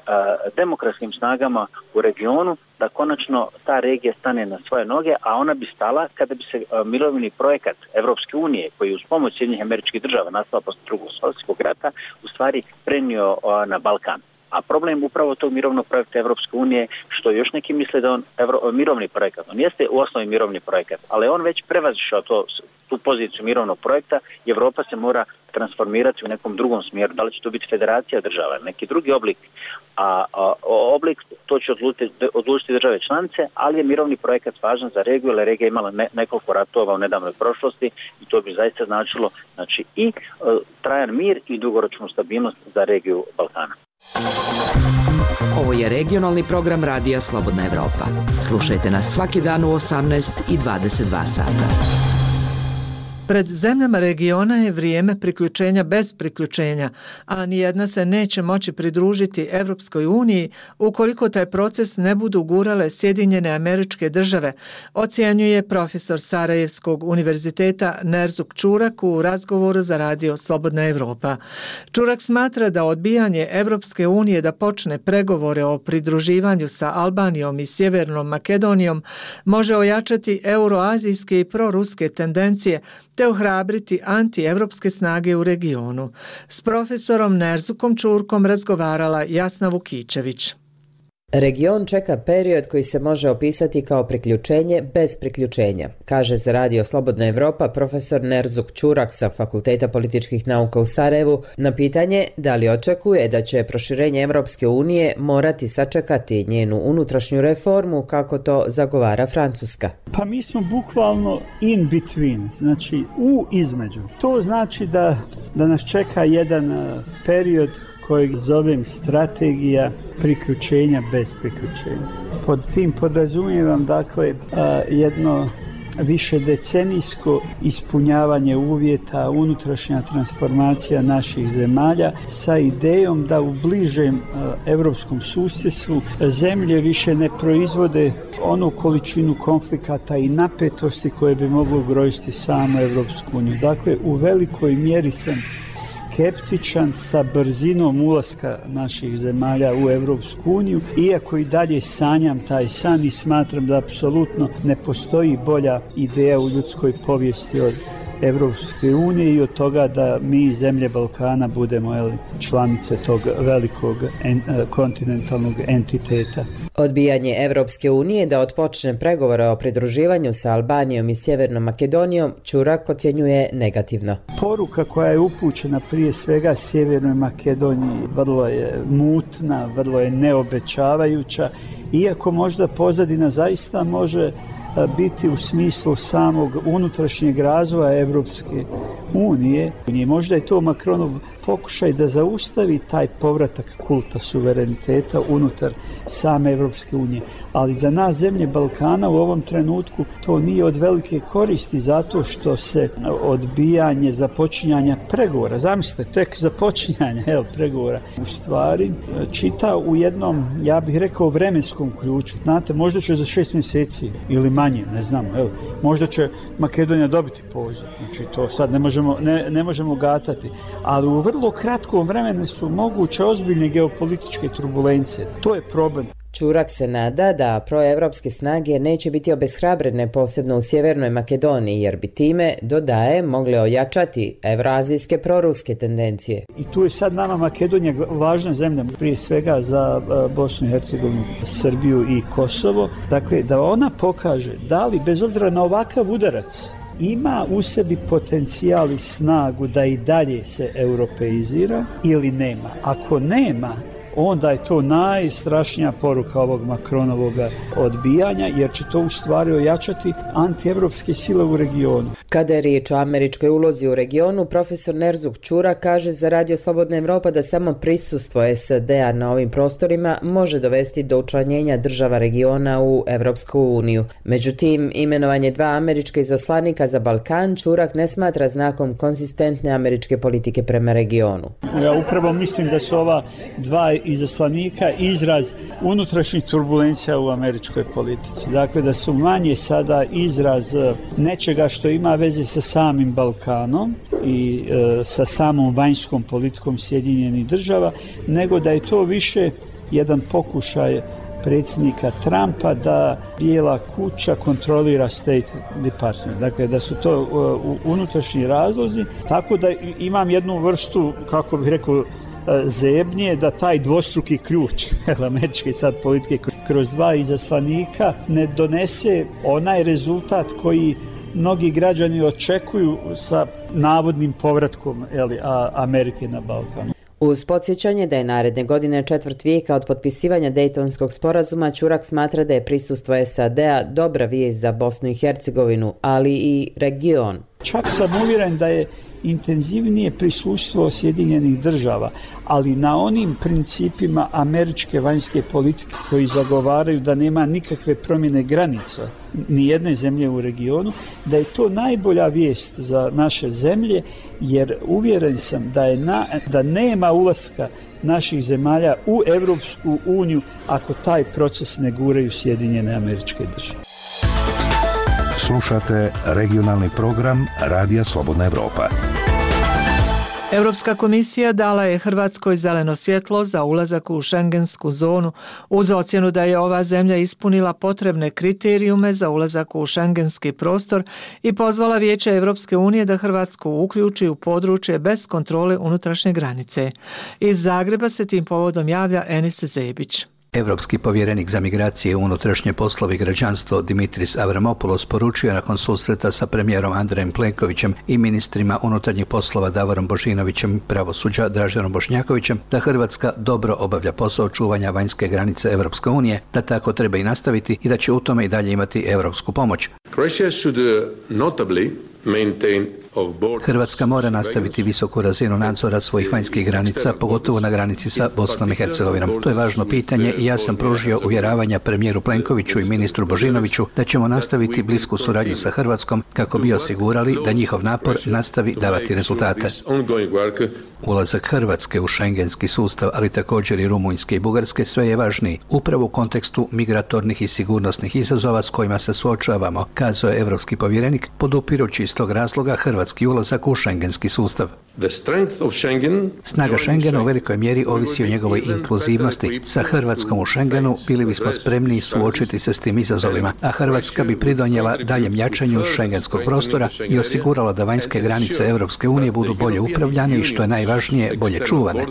demokratskim snagama u regionu, da konačno ta regija stane na svoje noge, a ona bi stala kada bi se e, mirovni projekat Evropske unije, koji je uz pomoć Sjedinjenih Američkih Država nastao posle Drugog svjetskog rata, u stvari prenio e, na Balkan. A problem upravo tog mirovnog projekta Evropske unije, što još neki misle da on evro, mirovni projekat, on jeste u osnovi mirovni projekat, ali on već prevazišao to, tu poziciju mirovnog projekta i Evropa se mora transformirati u nekom drugom smjeru. Da li će to biti federacija država, neki drugi oblik, a, a oblik to će odlučiti, odlučiti države članice, ali je mirovni projekat važan za regiju, jer regija imala ne, nekoliko ratova u nedavnoj prošlosti i to bi zaista značilo znači, i a, trajan mir i dugoročnu stabilnost za regiju Balkana. Ovo je regionalni program Radija Slobodna Evropa. Slušajte nas svaki dan u osamnaest i dvadeset dva sata. Pred zemljama regiona je vrijeme priključenja bez priključenja, a nijedna se neće moći pridružiti Evropskoj uniji ukoliko taj proces ne budu gurale Sjedinjene Američke Države, ocjenjuje profesor Sarajevskog univerziteta Nerzuk Čurak u razgovoru za Radio Slobodna Evropa. Čurak smatra da odbijanje Evropske unije da počne pregovore o pridruživanju sa Albanijom i Sjevernom Makedonijom može ojačati euroazijske i proruske tendencije te ohrabriti antievropske snage u regionu. S profesorom Nerzukom Čurkom razgovarala Jasna Vukičević. Region čeka period koji se može opisati kao priključenje bez priključenja, kaže za Radio Slobodna Evropa profesor Nerzuk Čurak sa Fakulteta političkih nauka u Sarajevu na pitanje da li očekuje da će proširenje Evropske unije morati sačekati njenu unutrašnju reformu kako to zagovara Francuska. Pa mi smo bukvalno in between, znači u između. To znači da, da nas čeka jedan period kojeg zovem strategija priključenja bez priključenja. Pod tim podrazumijevam dakle jedno višedecenijsko ispunjavanje uvjeta, unutrašnja transformacija naših zemalja sa idejom da u bližem evropskom susjedstvu zemlje više ne proizvode onu količinu konflikata i napetosti koje bi moglo ugroziti samu Evropsku uniju. Dakle, u velikoj mjeri sam skeptičan sa brzinom ulaska naših zemalja u Evropsku uniju, iako i dalje sanjam taj san i smatram da apsolutno ne postoji bolja ideja u ljudskoj povijesti od Evropske unije i od toga da mi zemlje Balkana budemo jeli, članice tog velikog en, kontinentalnog entiteta. Odbijanje Evropske unije da otpočne pregovore o pridruživanju sa Albanijom i Sjevernom Makedonijom Čurak ocjenjuje negativno. Poruka koja je upućena prije svega Sjevernoj Makedoniji vrlo je mutna, vrlo je neobećavajuća, iako možda pozadina zaista može biti u smislu samog unutrašnjeg razvoja Evropske unije. Možda je to Macronov pokušaj da zaustavi taj povratak kulta suvereniteta unutar same Evropske unije. Ali za nas zemlje Balkana u ovom trenutku to nije od velike koristi zato što se odbijanje započinjanja pregovora, zamislite, tek započinjanje evo, pregovora u stvari čita u jednom, ja bih rekao, vremenskom ključu. Znate, možda će za šest mjeseci ili manje, ne znam, evo, možda će Makedonija dobiti poziv, znači to sad ne možemo, ne, ne možemo gatati, ali u vrlo kratkom vremenu su moguće ozbiljne geopolitičke turbulencije. To je problem. Čurak se nada da proevropske snage neće biti obeshrabrene posebno u Sjevernoj Makedoniji, jer bi time, dodaje, mogle ojačati evroazijske proruske tendencije. I tu je sad nama Makedonija važna zemlja, prije svega za Bosnu i Hercegovinu, Srbiju i Kosovo. Dakle, da ona pokaže da li, bez obzira na ovakav udarac, ima u sebi potencijal i snagu da i dalje se europeizira ili nema. Ako nema, onda je to najstrašnija poruka ovog Macronovog odbijanja, jer će to u stvari ojačati antievropske sile u regionu. Kada je riječ o američkoj ulozi u regionu, profesor Nerzuk Čurak kaže za Radio Slobodna Evropa da samo prisustvo S A D-a na ovim prostorima može dovesti do učlanjenja država regiona u Evropsku uniju. Međutim, imenovanje dva američka izaslanika za Balkan Čurak ne smatra znakom konzistentne američke politike prema regionu. Ja upravo mislim da su ova dva izaslanika izraz unutrašnjih turbulencija u američkoj politici. Dakle, da su manje sada izraz nečega što ima veze sa samim Balkanom i e, sa samom vanjskom politikom Sjedinjenih država, nego da je to više jedan pokušaj predsjednika Trumpa da Bijela kuća kontrolira State Department. Dakle, da su to uh, unutrašnji razlozi. Tako da imam jednu vrstu, kako bih rekao, zebnje da taj dvostruki ključ američke sad politike kroz dva izaslanika ne donese onaj rezultat koji mnogi građani očekuju sa navodnim povratkom eli, a, Amerike na Balkanu. Uz podsjećanje da je naredne godine četvrt vijeka od potpisivanja Dejtonskog sporazuma, Čurak smatra da je prisustvo S A D-a dobra vijest za Bosnu i Hercegovinu, ali i region. Čak sam uvjeren da je intenzivnije prisustvo Sjedinjenih država, ali na onim principima američke vanjske politike koji zagovaraju da nema nikakve promjene granica ni jedne zemlje u regionu, da je to najbolja vijest za naše zemlje, jer uvjeren sam da je na, da nema ulaska naših zemalja u Evropsku uniju ako taj proces ne guraju Sjedinjene Američke Države. Slušate regionalni program Radija Slobodna Evropa. Europska komisija dala je Hrvatskoj zeleno svjetlo za ulazak u šengensku zonu uz ocjenu da je ova zemlja ispunila potrebne kriterijume za ulazak u šengenski prostor i pozvala Vijeće Europske unije da Hrvatsku uključi u područje bez kontrole unutrašnje granice. Iz Zagreba se tim povodom javlja Enis Zebić. Europski povjerenik za migracije, unutrašnje poslove i građanstvo Dimitris Avramopoulos poručio nakon susreta sa premijerom Andrejem Plenkovićem i ministrima unutarnjih poslova Davorom Božinovićem i pravosuđa Draženom Bošnjakovićem da Hrvatska dobro obavlja posao čuvanja vanjske granice Europske unije, da tako treba i nastaviti i da će u tome i dalje imati europsku pomoć. Hrvatska mora nastaviti visoku razinu nadzora svojih vanjskih granica, pogotovo na granici sa Bosnom i Hercegovinom. To je važno pitanje i ja sam pružio uvjeravanja premijeru Plenkoviću i ministru Božinoviću da ćemo nastaviti blisku suradnju sa Hrvatskom kako bi osigurali da njihov napor nastavi davati rezultate. Ulazak Hrvatske u šengenski sustav, ali također i Rumunjske i Bugarske, sve je važniji, upravo u kontekstu migratornih i sigurnosnih izazova s kojima se suočavamo, kazao je europski povjerenik, podupirući iz tog razloga hrvatski ulazak u šengenski sustav. Snaga Šengena u velikoj mjeri ovisi o njegovoj inkluzivnosti. Sa Hrvatskom u Šengenu bili bismo spremni suočiti se s tim izazovima, a Hrvatska bi pridonijela daljem jačanju šengenskog prostora i osigurala da vanjske granice Europske unije budu bolje upravljane i, što je najvažnije, bolje čuvane.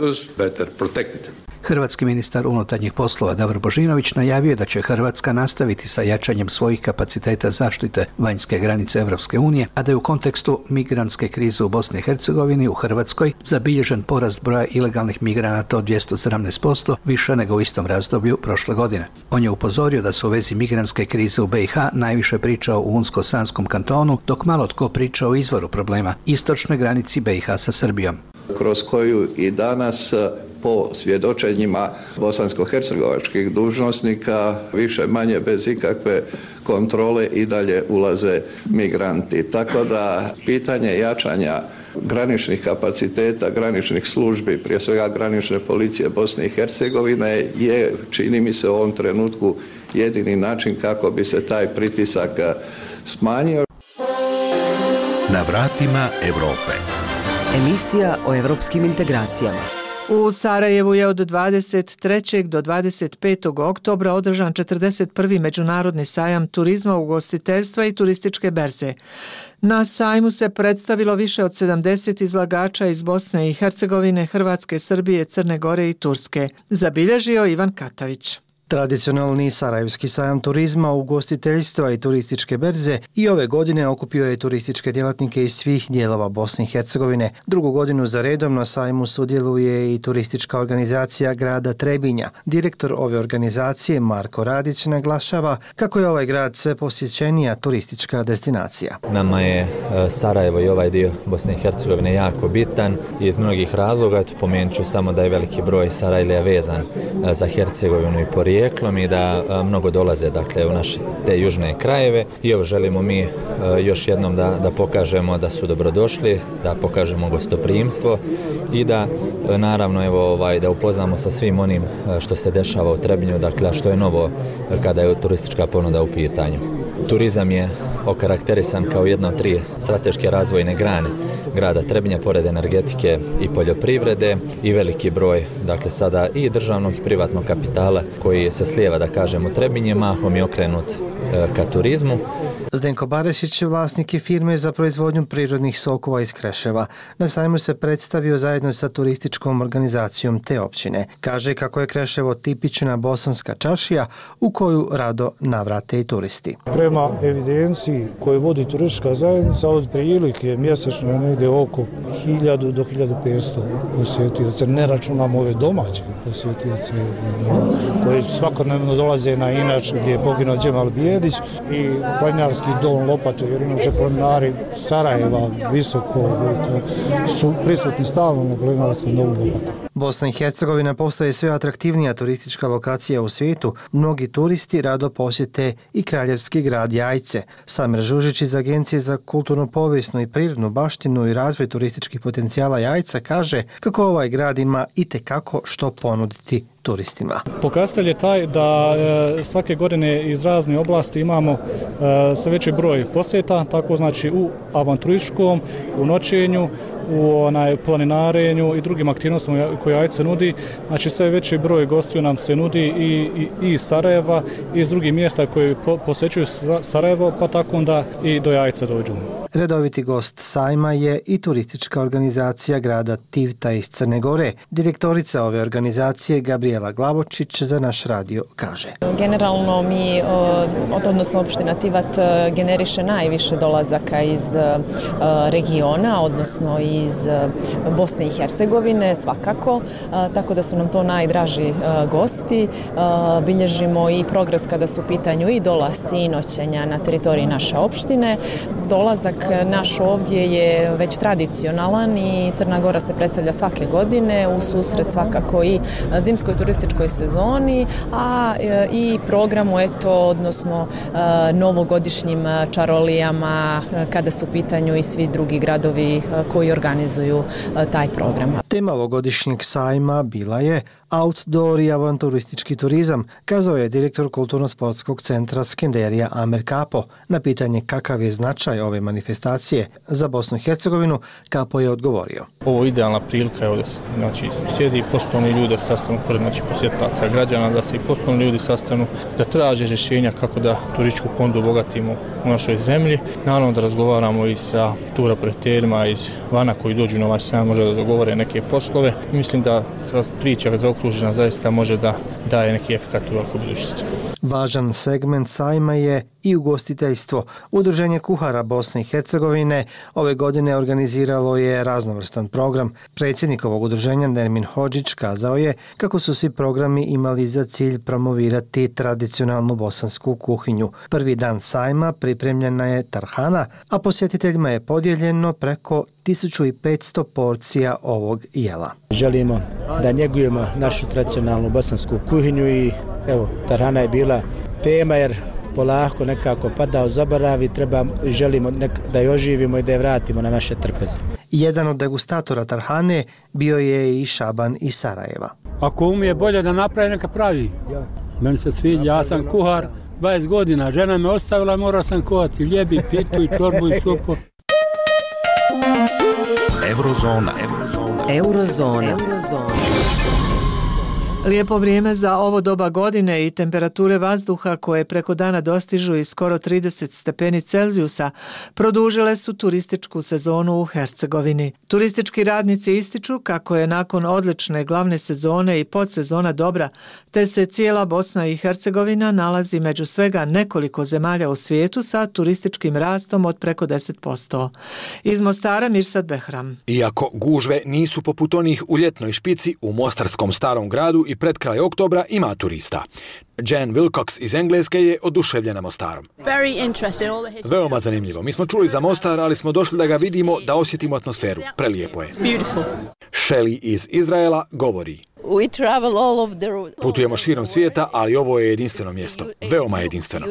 Hrvatski ministar unutarnjih poslova Davor Božinović najavio da će Hrvatska nastaviti sa jačanjem svojih kapaciteta zaštite vanjske granice Europske unije, a da je u kontekstu migrantske krize u Bosni i Hercegovini u Hrvatskoj zabilježen porast broja ilegalnih migranata od dvjesto sedamnaest posto, više nego u istom razdoblju prošle godine. On je upozorio da se u vezi migrantske krize u B i H najviše pričao u Unsko-Sanskom kantonu, dok malo tko priča o izvoru problema, istočnoj granici B i H sa Srbijom. Kroz koju i danas po svjedočenjima bosansko-hercegovačkih dužnosnika više manje bez ikakve kontrole i dalje ulaze migranti. Tako da pitanje jačanja graničnih kapaciteta, graničnih službi, prije svega granične policije Bosne i Hercegovine je, čini mi se, u ovom trenutku jedini način kako bi se taj pritisak smanjio. Na vratima Europe. Emisija o evropskim integracijama. U Sarajevu je od dvadeset trećeg do dvadeset petog oktobra održan četrdeset prvi Međunarodni sajam turizma, ugostiteljstva i turističke berze. Na sajmu se predstavilo više od sedamdeset izlagača iz Bosne i Hercegovine, Hrvatske, Srbije, Crne Gore i Turske. Zabilježio Ivan Katavić. Tradicionalni Sarajevski sajam turizma, ugostiteljstva i turističke berze i ove godine okupio je turističke djelatnike iz svih dijelova Bosne i Hercegovine. Drugu godinu za redom na sajmu sudjeluje i turistička organizacija grada Trebinja. Direktor ove organizacije Marko Radić naglašava kako je ovaj grad sve posjećenija turistička destinacija. Nama je Sarajevo i ovaj dio Bosne i Hercegovine jako bitan iz mnogih razloga. Pomenut ću samo da je veliki broj Sarajlija vezan za Hercegovinu i porijeklo i da a, mnogo dolaze dakle u naše te južne krajeve i evo želimo mi a, još jednom da, da pokažemo da su dobrodošli, da pokažemo gostoprimstvo i da a, naravno evo ovaj da upoznamo sa svim onim a, što se dešava u Trebinju, dakle što je novo a, kada je turistička ponuda u pitanju. Turizam je okarakterisan kao jedna od tri strateške razvojne grane grada Trebinja, pored energetike i poljoprivrede i veliki broj dakle sada i državnog i privatnog kapitala koji se slijeva da kažemo Trebinje, mahom je okrenut e, ka turizmu. Zdenko Barešić, vlasnik je firme za proizvodnju prirodnih sokova iz Kreševa. Na sajmu se predstavio zajedno sa turističkom organizacijom te općine. Kaže kako je Kreševo tipična bosanska čaršija u koju rado navrate i turisti. Prema evidenciji koju vodi turistička zajednica, od prilike mjesečno je negdje oko hiljadu do hiljadu petsto posjetioca. Ne računamo ove domaće posjetioce koji svakodnevno dolaze na Inač gdje je poginuo Džemal Bijedić i planinarski dom Lopatu, jer inače planinari Sarajeva visoko su prisutni stalno na planinarskom domu Lopatu. Bosna i Hercegovina postaje sve atraktivnija turistička lokacija u svijetu. Mnogi turisti rado posjete i kraljevski grad Jajce. Samir Žužić iz Agencije za kulturno povijesnu i prirodnu baštinu i razvoj turističkih potencijala Jajca kaže kako ovaj grad ima itekako što ponuditi turistima. Pokazatelj je taj da e, svake godine iz razne oblasti imamo e, sve veći broj posjeta, tako znači u avanturističkom, u noćenju, u onaj planinarenju i drugim aktivnostima koje Jajce nudi. Znači sve veći broj gostiju nam se nudi i, i, i Sarajeva i iz drugih mjesta koji po, posjećuju Sarajevo, pa tako onda i do Jajca dođu. Redoviti gost sajma je i turistička organizacija grada Tivta iz Crne Gore. Direktorica ove organizacije Gabriela Glavočić za naš radio kaže. Generalno mi, odnosno opština Tivat, generiše najviše dolazaka iz regiona, odnosno iz Bosne i Hercegovine svakako, tako da su nam to najdraži gosti. Bilježimo i progres kada su u pitanju i dolasci i noćenja na teritoriji naše opštine. Dolazak naš ovdje je već tradicionalan i Crna Gora se predstavlja svake godine u susret svakako i zimskoj turističkoj sezoni, a i programu eto, odnosno novogodišnjim čarolijama kada su u pitanju i svi drugi gradovi koji organizuju taj program. Tema ovogodišnjeg sajma bila je outdoor i avanturistički turizam, kazao je direktor Kulturno-sportskog centra Skenderija Amer Kapo. Na pitanje kakav je značaj ove manifestacije za Bosnu i Hercegovinu, Kapo je odgovorio. Ovo je idealna prilika, evo da se znači, sjedi i poslovni ljudi sastanu pored znači, posjetaca građana, da se i poslovni ljudi sastanu, da traže rješenja kako da turističku ponudu obogatimo u našoj zemlji. Naravno da razgovaramo i sa turoperaterima iz vana koji dođu na ovaj sajam, može da dogovore neke poslove. Mislim da priča zaokružena zaista može da daje neki efekat u velikoj budućnosti. Važan segment sajma je i ugostiteljstvo. Udruženje kuhara Bosne i Hercegovine ove godine organiziralo je raznovrstan program. Predsjednik ovog udruženja Nermin Hodžić kazao je kako su svi programi imali za cilj promovirati tradicionalnu bosansku kuhinju. Prvi dan sajma pripremljena je tarhana, a posjetiteljima je podijeljeno preko tisuću petsto porcija ovog jela. Želimo da njegujemo našu tradicionalnu bosansku kuhinju i evo, tarhana je bila tema jer polako nekako pada u zaborav i treba, želimo nek, da je oživimo i da je vratimo na naše trpeze. Jedan od degustatora tarhane bio je i Šaban iz Sarajeva. Ako umije bolje da napravi, neka pravi. Ja. Meni se sviđa, ja sam kuhar dvadeset godina, žena me ostavila, morao sam kuhati ljebi, pitu i čorbu i supu. Eurozona. Eurozona. Eurozona. Lijepo vrijeme za ovo doba godine i temperature vazduha koje preko dana dostižu i skoro trideset stepeni Celzijusa produžile su turističku sezonu u Hercegovini. Turistički radnici ističu kako je nakon odlične glavne sezone i podsezona dobra, te se cijela Bosna i Hercegovina nalazi među svega nekoliko zemalja u svijetu sa turističkim rastom od preko deset posto. Iz Mostara Mirsad Behram. Iako gužve nisu poput onih u ljetnoj špici, u mostarskom starom gradu i pred kraj oktobra ima turista. Jen Wilcox iz Engleske je oduševljena Mostarom. Veoma zanimljivo. Mi smo čuli za Mostar, ali smo došli da ga vidimo, da osjetimo atmosferu. Prelijepo je. Shelley iz Izraela govori. Putujemo širom svijeta, ali ovo je jedinstveno mjesto. Veoma jedinstveno.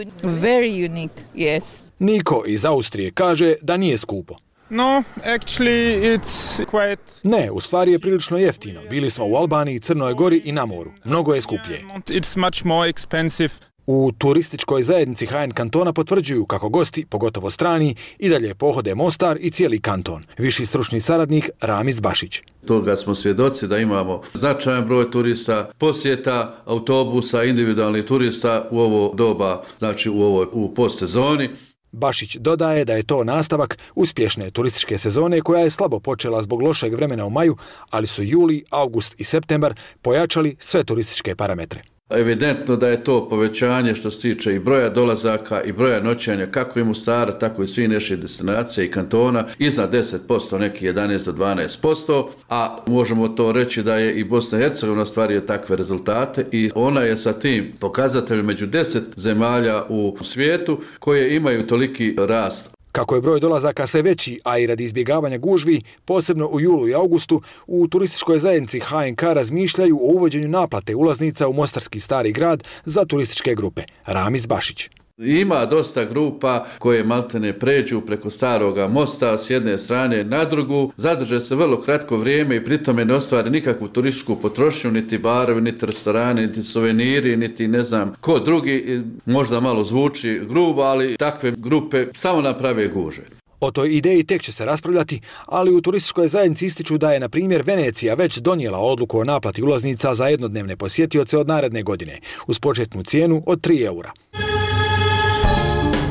Niko iz Austrije kaže da nije skupo. No, actually it's quite... Ne, u stvari je prilično jeftino. Bili smo u Albaniji, Crnoj Gori i na moru. Mnogo je skuplje. It's much more expensive. U turističkoj zajednici Hajen kantona potvrđuju kako gosti, pogotovo strani, i dalje pohode Mostar i cijeli kanton. Viši stručni saradnik Ramiz Bašić. Toga smo svjedoci da imamo značajan broj turista, posjeta, autobusa, individualnih turista u ovo doba, znači u ovoj u postsezoni. Bašić dodaje da je to nastavak uspješne turističke sezone koja je slabo počela zbog lošeg vremena u maju, ali su juli, august i septembar pojačali sve turističke parametre. Evidentno da je to povećanje što se tiče i broja dolazaka i broja noćenja kako i Mostara, tako i svih naših destinacija i kantona, iznad deset posto, neki jedanaest do dvanaest posto, a možemo to reći da je i Bosna i Hercegovina ostvario takve rezultate i ona je sa tim pokazateljem među deset zemalja u svijetu koje imaju toliki rast. Kako je broj dolazaka sve veći, a i radi izbjegavanja gužvi, posebno u julu i augustu, u turističkoj zajednici H N K razmišljaju o uvođenju naplate ulaznica u Mostarski stari grad za turističke grupe. Ramiz Bašić. Ima dosta grupa koje maltene pređu preko staroga mosta s jedne strane na drugu, zadrže se vrlo kratko vrijeme i pritome ne ostvare nikakvu turističku potrošnju, niti barovi, niti restorani, niti suveniri, niti ne znam ko drugi, možda malo zvuči grubo, ali takve grupe samo naprave gužve. O toj ideji tek će se raspravljati, ali u turističkoj zajednici ističu da je, na primjer, Venecija već donijela odluku o naplati ulaznica za jednodnevne posjetioce od naredne godine, uz početnu cijenu od tri eura.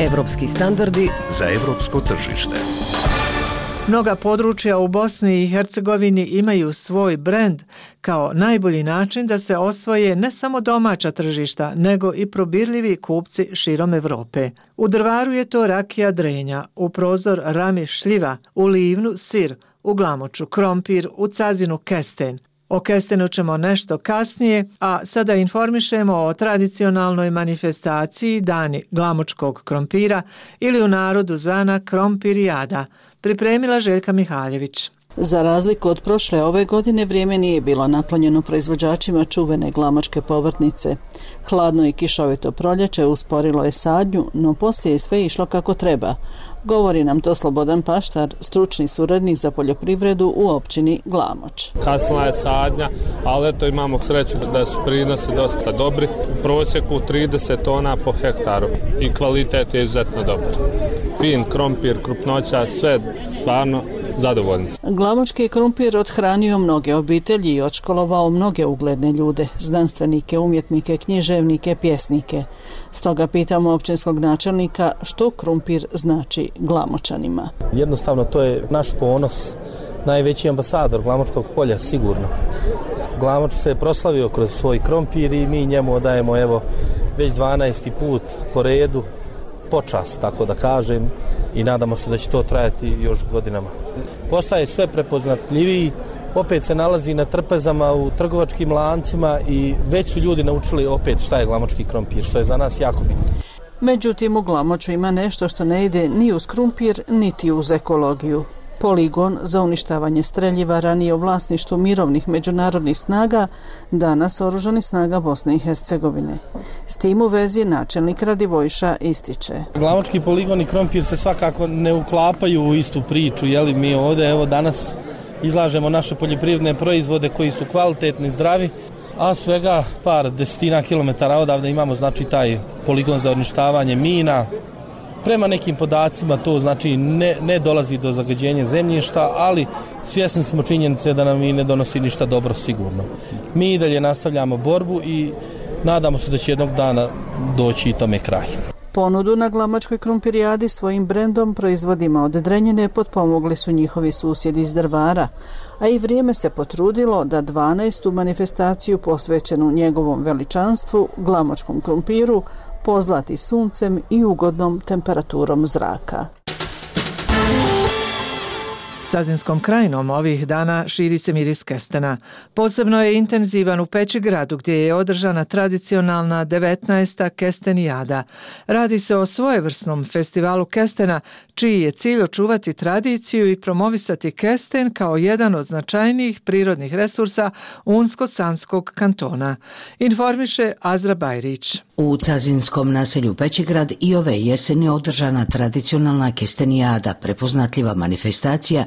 Evropski standardi za evropsko tržište. Mnoga područja u Bosni i Hercegovini imaju svoj brend kao najbolji način da se osvoje ne samo domaća tržišta, nego i probirljivi kupci širom Evrope. U Drvaru je to rakija Drenja, u Prozor Rami šljiva, u Livnu sir, u Glamoču krompir, u Cazinu kesten. O kestenu ćemo nešto kasnije, a sada informišemo o tradicionalnoj manifestaciji Dani glamočkog krompira ili u narodu zvana Krompirijada, pripremila Željka Mihaljević. Za razliku od prošle, ove godine vrijeme nije bilo naklonjeno proizvođačima čuvene glamočke povrtnice. Hladno i kišovito proljeće usporilo je sadnju, no poslije je sve išlo kako treba. Govori nam to Slobodan Paštar, stručni suradnik za poljoprivredu u općini Glamoč. Kasnila je sadnja, ali eto imamo sreću da su prinosi dosta dobri. U prosjeku trideset tona po hektaru i kvalitet je izuzetno dobar. Fin krompir, krupnoća, sve stvarno zadovoljni. Glamočki krompir othranio mnoge obitelji i odškolovao mnoge ugledne ljude, znanstvenike, umjetnike, književnike, pjesnike. Stoga pitamo općinskog načelnika što krompir znači Glamočanima. Jednostavno to je naš ponos, najveći ambasador Glamočkog polja sigurno. Glamoč se je proslavio kroz svoj krompir i mi njemu odajemo evo već dvanaesti put po redu počast, tako da kažem, i nadamo se da će to trajati još godinama. Postaje sve prepoznatljiviji, opet se nalazi na trpezama u trgovačkim lancima i već su ljudi naučili opet šta je glamočki krompir, što je za nas jako bitno. Međutim, u Glamoču ima nešto što ne ide ni uz krompir, niti uz ekologiju. Poligon za uništavanje streljiva ranije u vlasništvu mirovnih međunarodnih snaga, danas oružanih snaga Bosne i Hercegovine. S tim u vezi načelnik Radivojša ističe. Glamočki poligon i krompir se svakako ne uklapaju u istu priču, jeli mi ovdje evo danas izlažemo naše poljoprivredne proizvode koji su kvalitetni, zdravi, a svega par desetina kilometara odavde imamo znači taj poligon za uništavanje mina, Prema nekim podacima to znači ne, ne dolazi do zagađenja zemljišta, ali svjesni smo činjenice da nam i ne donosi ništa dobro sigurno. Mi i dalje nastavljamo borbu i nadamo se da će jednog dana doći i tome kraj. Ponudu na glamačkoj krumpirijadi svojim brendom proizvodima od Drenjine potpomogli su njihovi susjedi iz Drvara, a i vrijeme se potrudilo da dvanaestu manifestaciju posvećenu njegovom veličanstvu, glamačkom krumpiru, pozlati suncem i ugodnom temperaturom zraka. Cazinskom krajinom ovih dana širi se miris kestena. Posebno je intenzivan u Pećigradu gdje je održana tradicionalna devetnaesta kestenijada. Radi se o svojevrsnom festivalu kestena čiji je cilj očuvati tradiciju i promovisati kesten kao jedan od značajnijih prirodnih resursa Unsko-Sanskog kantona. Informiše Azra Bajrić. U cazinskom naselju Pećigrad i ove jeseni održana tradicionalna kestenijada, prepoznatljiva manifestacija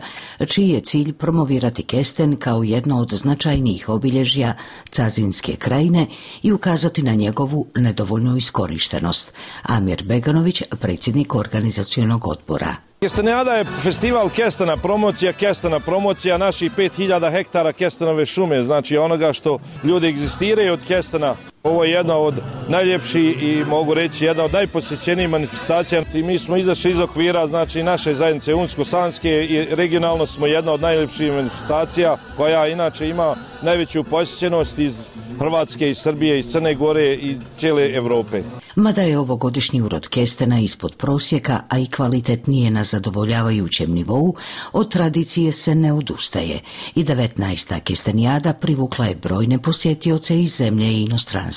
čiji je cilj promovirati kesten kao jedno od značajnijih obilježja Cazinske krajine i ukazati na njegovu nedovoljnu iskorištenost. Amir Beganović, predsjednik organizacionog odbora. Kestenijada je festival kestena, promocija kestena, promocija naših pet hiljada hektara kestenove šume, znači onoga što ljudi egzistiraju od kestena. Ovo je jedna od najljepših i mogu reći jedna od najposjećenijih manifestacija. I mi smo izašli iz okvira, znači naše zajednice Unsko-Sanske i regionalno smo jedna od najljepših manifestacija koja inače ima najveću posjećenost iz Hrvatske, iz Srbije, iz Crne Gore i cijele Europe. Mada je ovogodišnji urod kestena ispod prosjeka, a i kvalitet nije na zadovoljavajućem nivou, od tradicije se ne odustaje i devetnaesta kestenijada privukla je brojne posjetioce iz zemlje i inostranstva.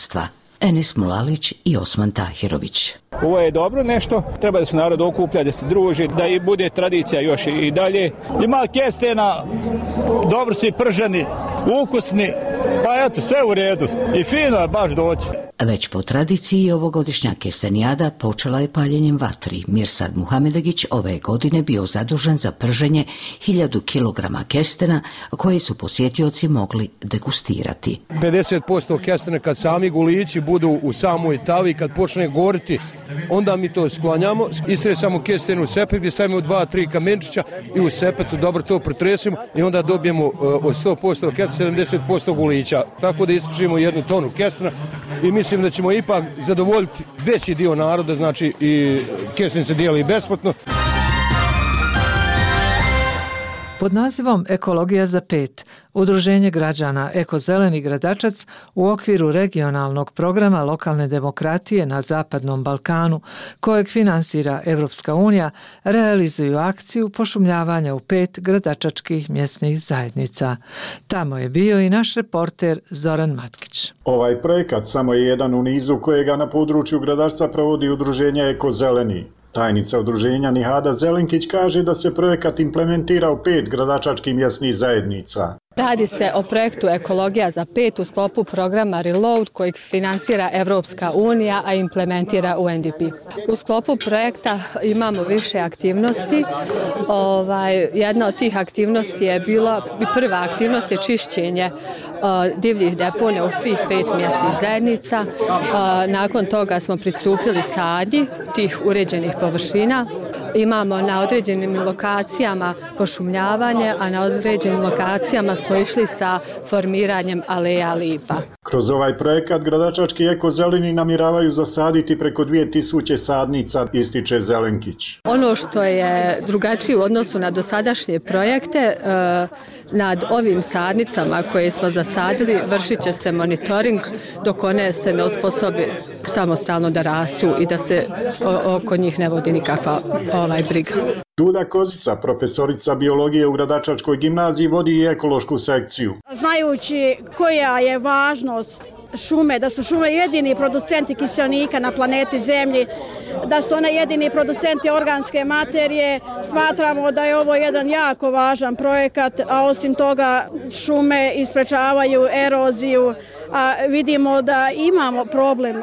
Enis Mulalić i Osman Tahirović. Ovo je dobro nešto, treba da se narod okuplja, da se druži, da i bude tradicija još i dalje. Ima kestena, dobro su i prženi, ukusni, pa eto, sve u redu i fino je baš doći. Već po tradiciji ovogodišnja kestenijada počela je paljenjem vatri. Mirsad Muhamedegić ove godine bio zadužen za prženje hiljadu kilograma kestena koje su posjetioci mogli degustirati. pedeset posto kestena kad sami gulići budu u samoj tavi, kad počne goriti, onda mi to sklanjamo, istresamo kesten u sepet gdje stavimo dva, tri kamenčića i u sepetu dobro to pretresimo i onda dobijemo od sto posto kestena sedamdeset posto gulića. Tako da ispržimo jednu tonu kestena i mislim da ćemo ipak zadovoljiti veći dio naroda, znači i kesten se dijeli besplatno. Pod nazivom Ekologija za pet, Udruženje građana Eko-zeleni gradačac u okviru regionalnog programa lokalne demokratije na Zapadnom Balkanu, kojeg finansira Evropska unija, realizuju akciju pošumljavanja u pet gradačačkih mjesnih zajednica. Tamo je bio i naš reporter Zoran Matkić. Ovaj projekat samo je jedan u nizu kojega na području gradačca provodi Udruženje Eko-zeleni. Tajnica udruženja Nihada Zelenkić kaže da se projekat implementira u pet gradačačkih mjesnih zajednica. Radi se o projektu Ekologija za pet u sklopu programa Reload kojeg finansira Evropska unija, a implementira U N D P. U sklopu projekta imamo više aktivnosti. Ovaj, jedna od tih aktivnosti je bila, prva aktivnost je čišćenje uh, divljih deponija u svih pet mjesnih zajednica. Uh, nakon toga smo pristupili sadnji tih uređenih površina. Imamo na određenim lokacijama pošumljavanje, a na određenim lokacijama smo išli sa formiranjem aleja lipa. Kroz ovaj projekat gradačački Eko-zeleni namjeravaju zasaditi preko dvije tisuće sadnica, ističe Zelenkić. Ono što je drugačije u odnosu na dosadašnje projekte, nad ovim sadnicama koje smo zasadili vršit će se monitoring dok one se ne osposobe samostalno da rastu i da se oko njih ne vodi nikakva ovaj briga. Duda Kozica, profesorica biologije u Gradačačkoj gimnaziji, vodi i ekološku sekciju. Znajući koja je važnost šume, da su šume jedini producenti kiseonika na planeti Zemlji, da su one jedini producenti organske materije, smatramo da je ovo jedan jako važan projekat, a osim toga šume isprečavaju eroziju, a vidimo da imamo problem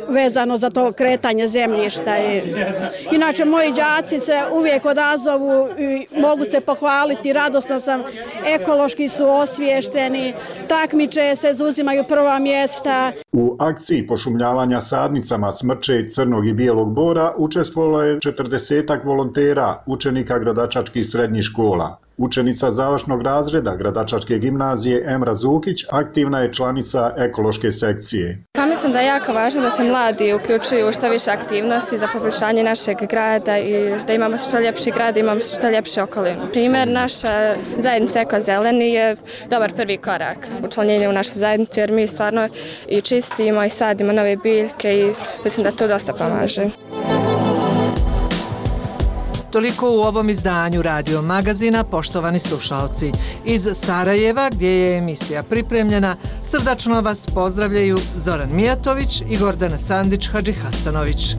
vezano za to kretanje zemljišta. Inače, moji đaci se uvijek odazovu i mogu se pohvaliti, radosna sam, ekološki su osviješteni, takmiče se, zauzimaju prva mjesta. U akciji pošumljavanja sadnicama smrče crnog i bijelog bora učestvovalo je četrdesetak volontera, učenika gradačačkih srednjih škola. Učenica završnog razreda Gradačačke gimnazije Emra Zukić aktivna je članica ekološke sekcije. Pa mislim da je jako važno da se mladi uključuju u što više aktivnosti za poboljšanje našeg grada i da imamo što ljepši grad, imamo što ljepše okolinu. Primjer, naša zajednica Eko Zeleni je dobar prvi korak u učlanjenju u našu zajednicu jer mi stvarno i čistimo i sadimo nove biljke i mislim da to dosta pomaže. Toliko u ovom izdanju Radio magazina, poštovani slušalci. Iz Sarajeva, gdje je emisija pripremljena, srdačno vas pozdravljaju Zoran Mijatović i Gordana Sandić-Hadžihasanović.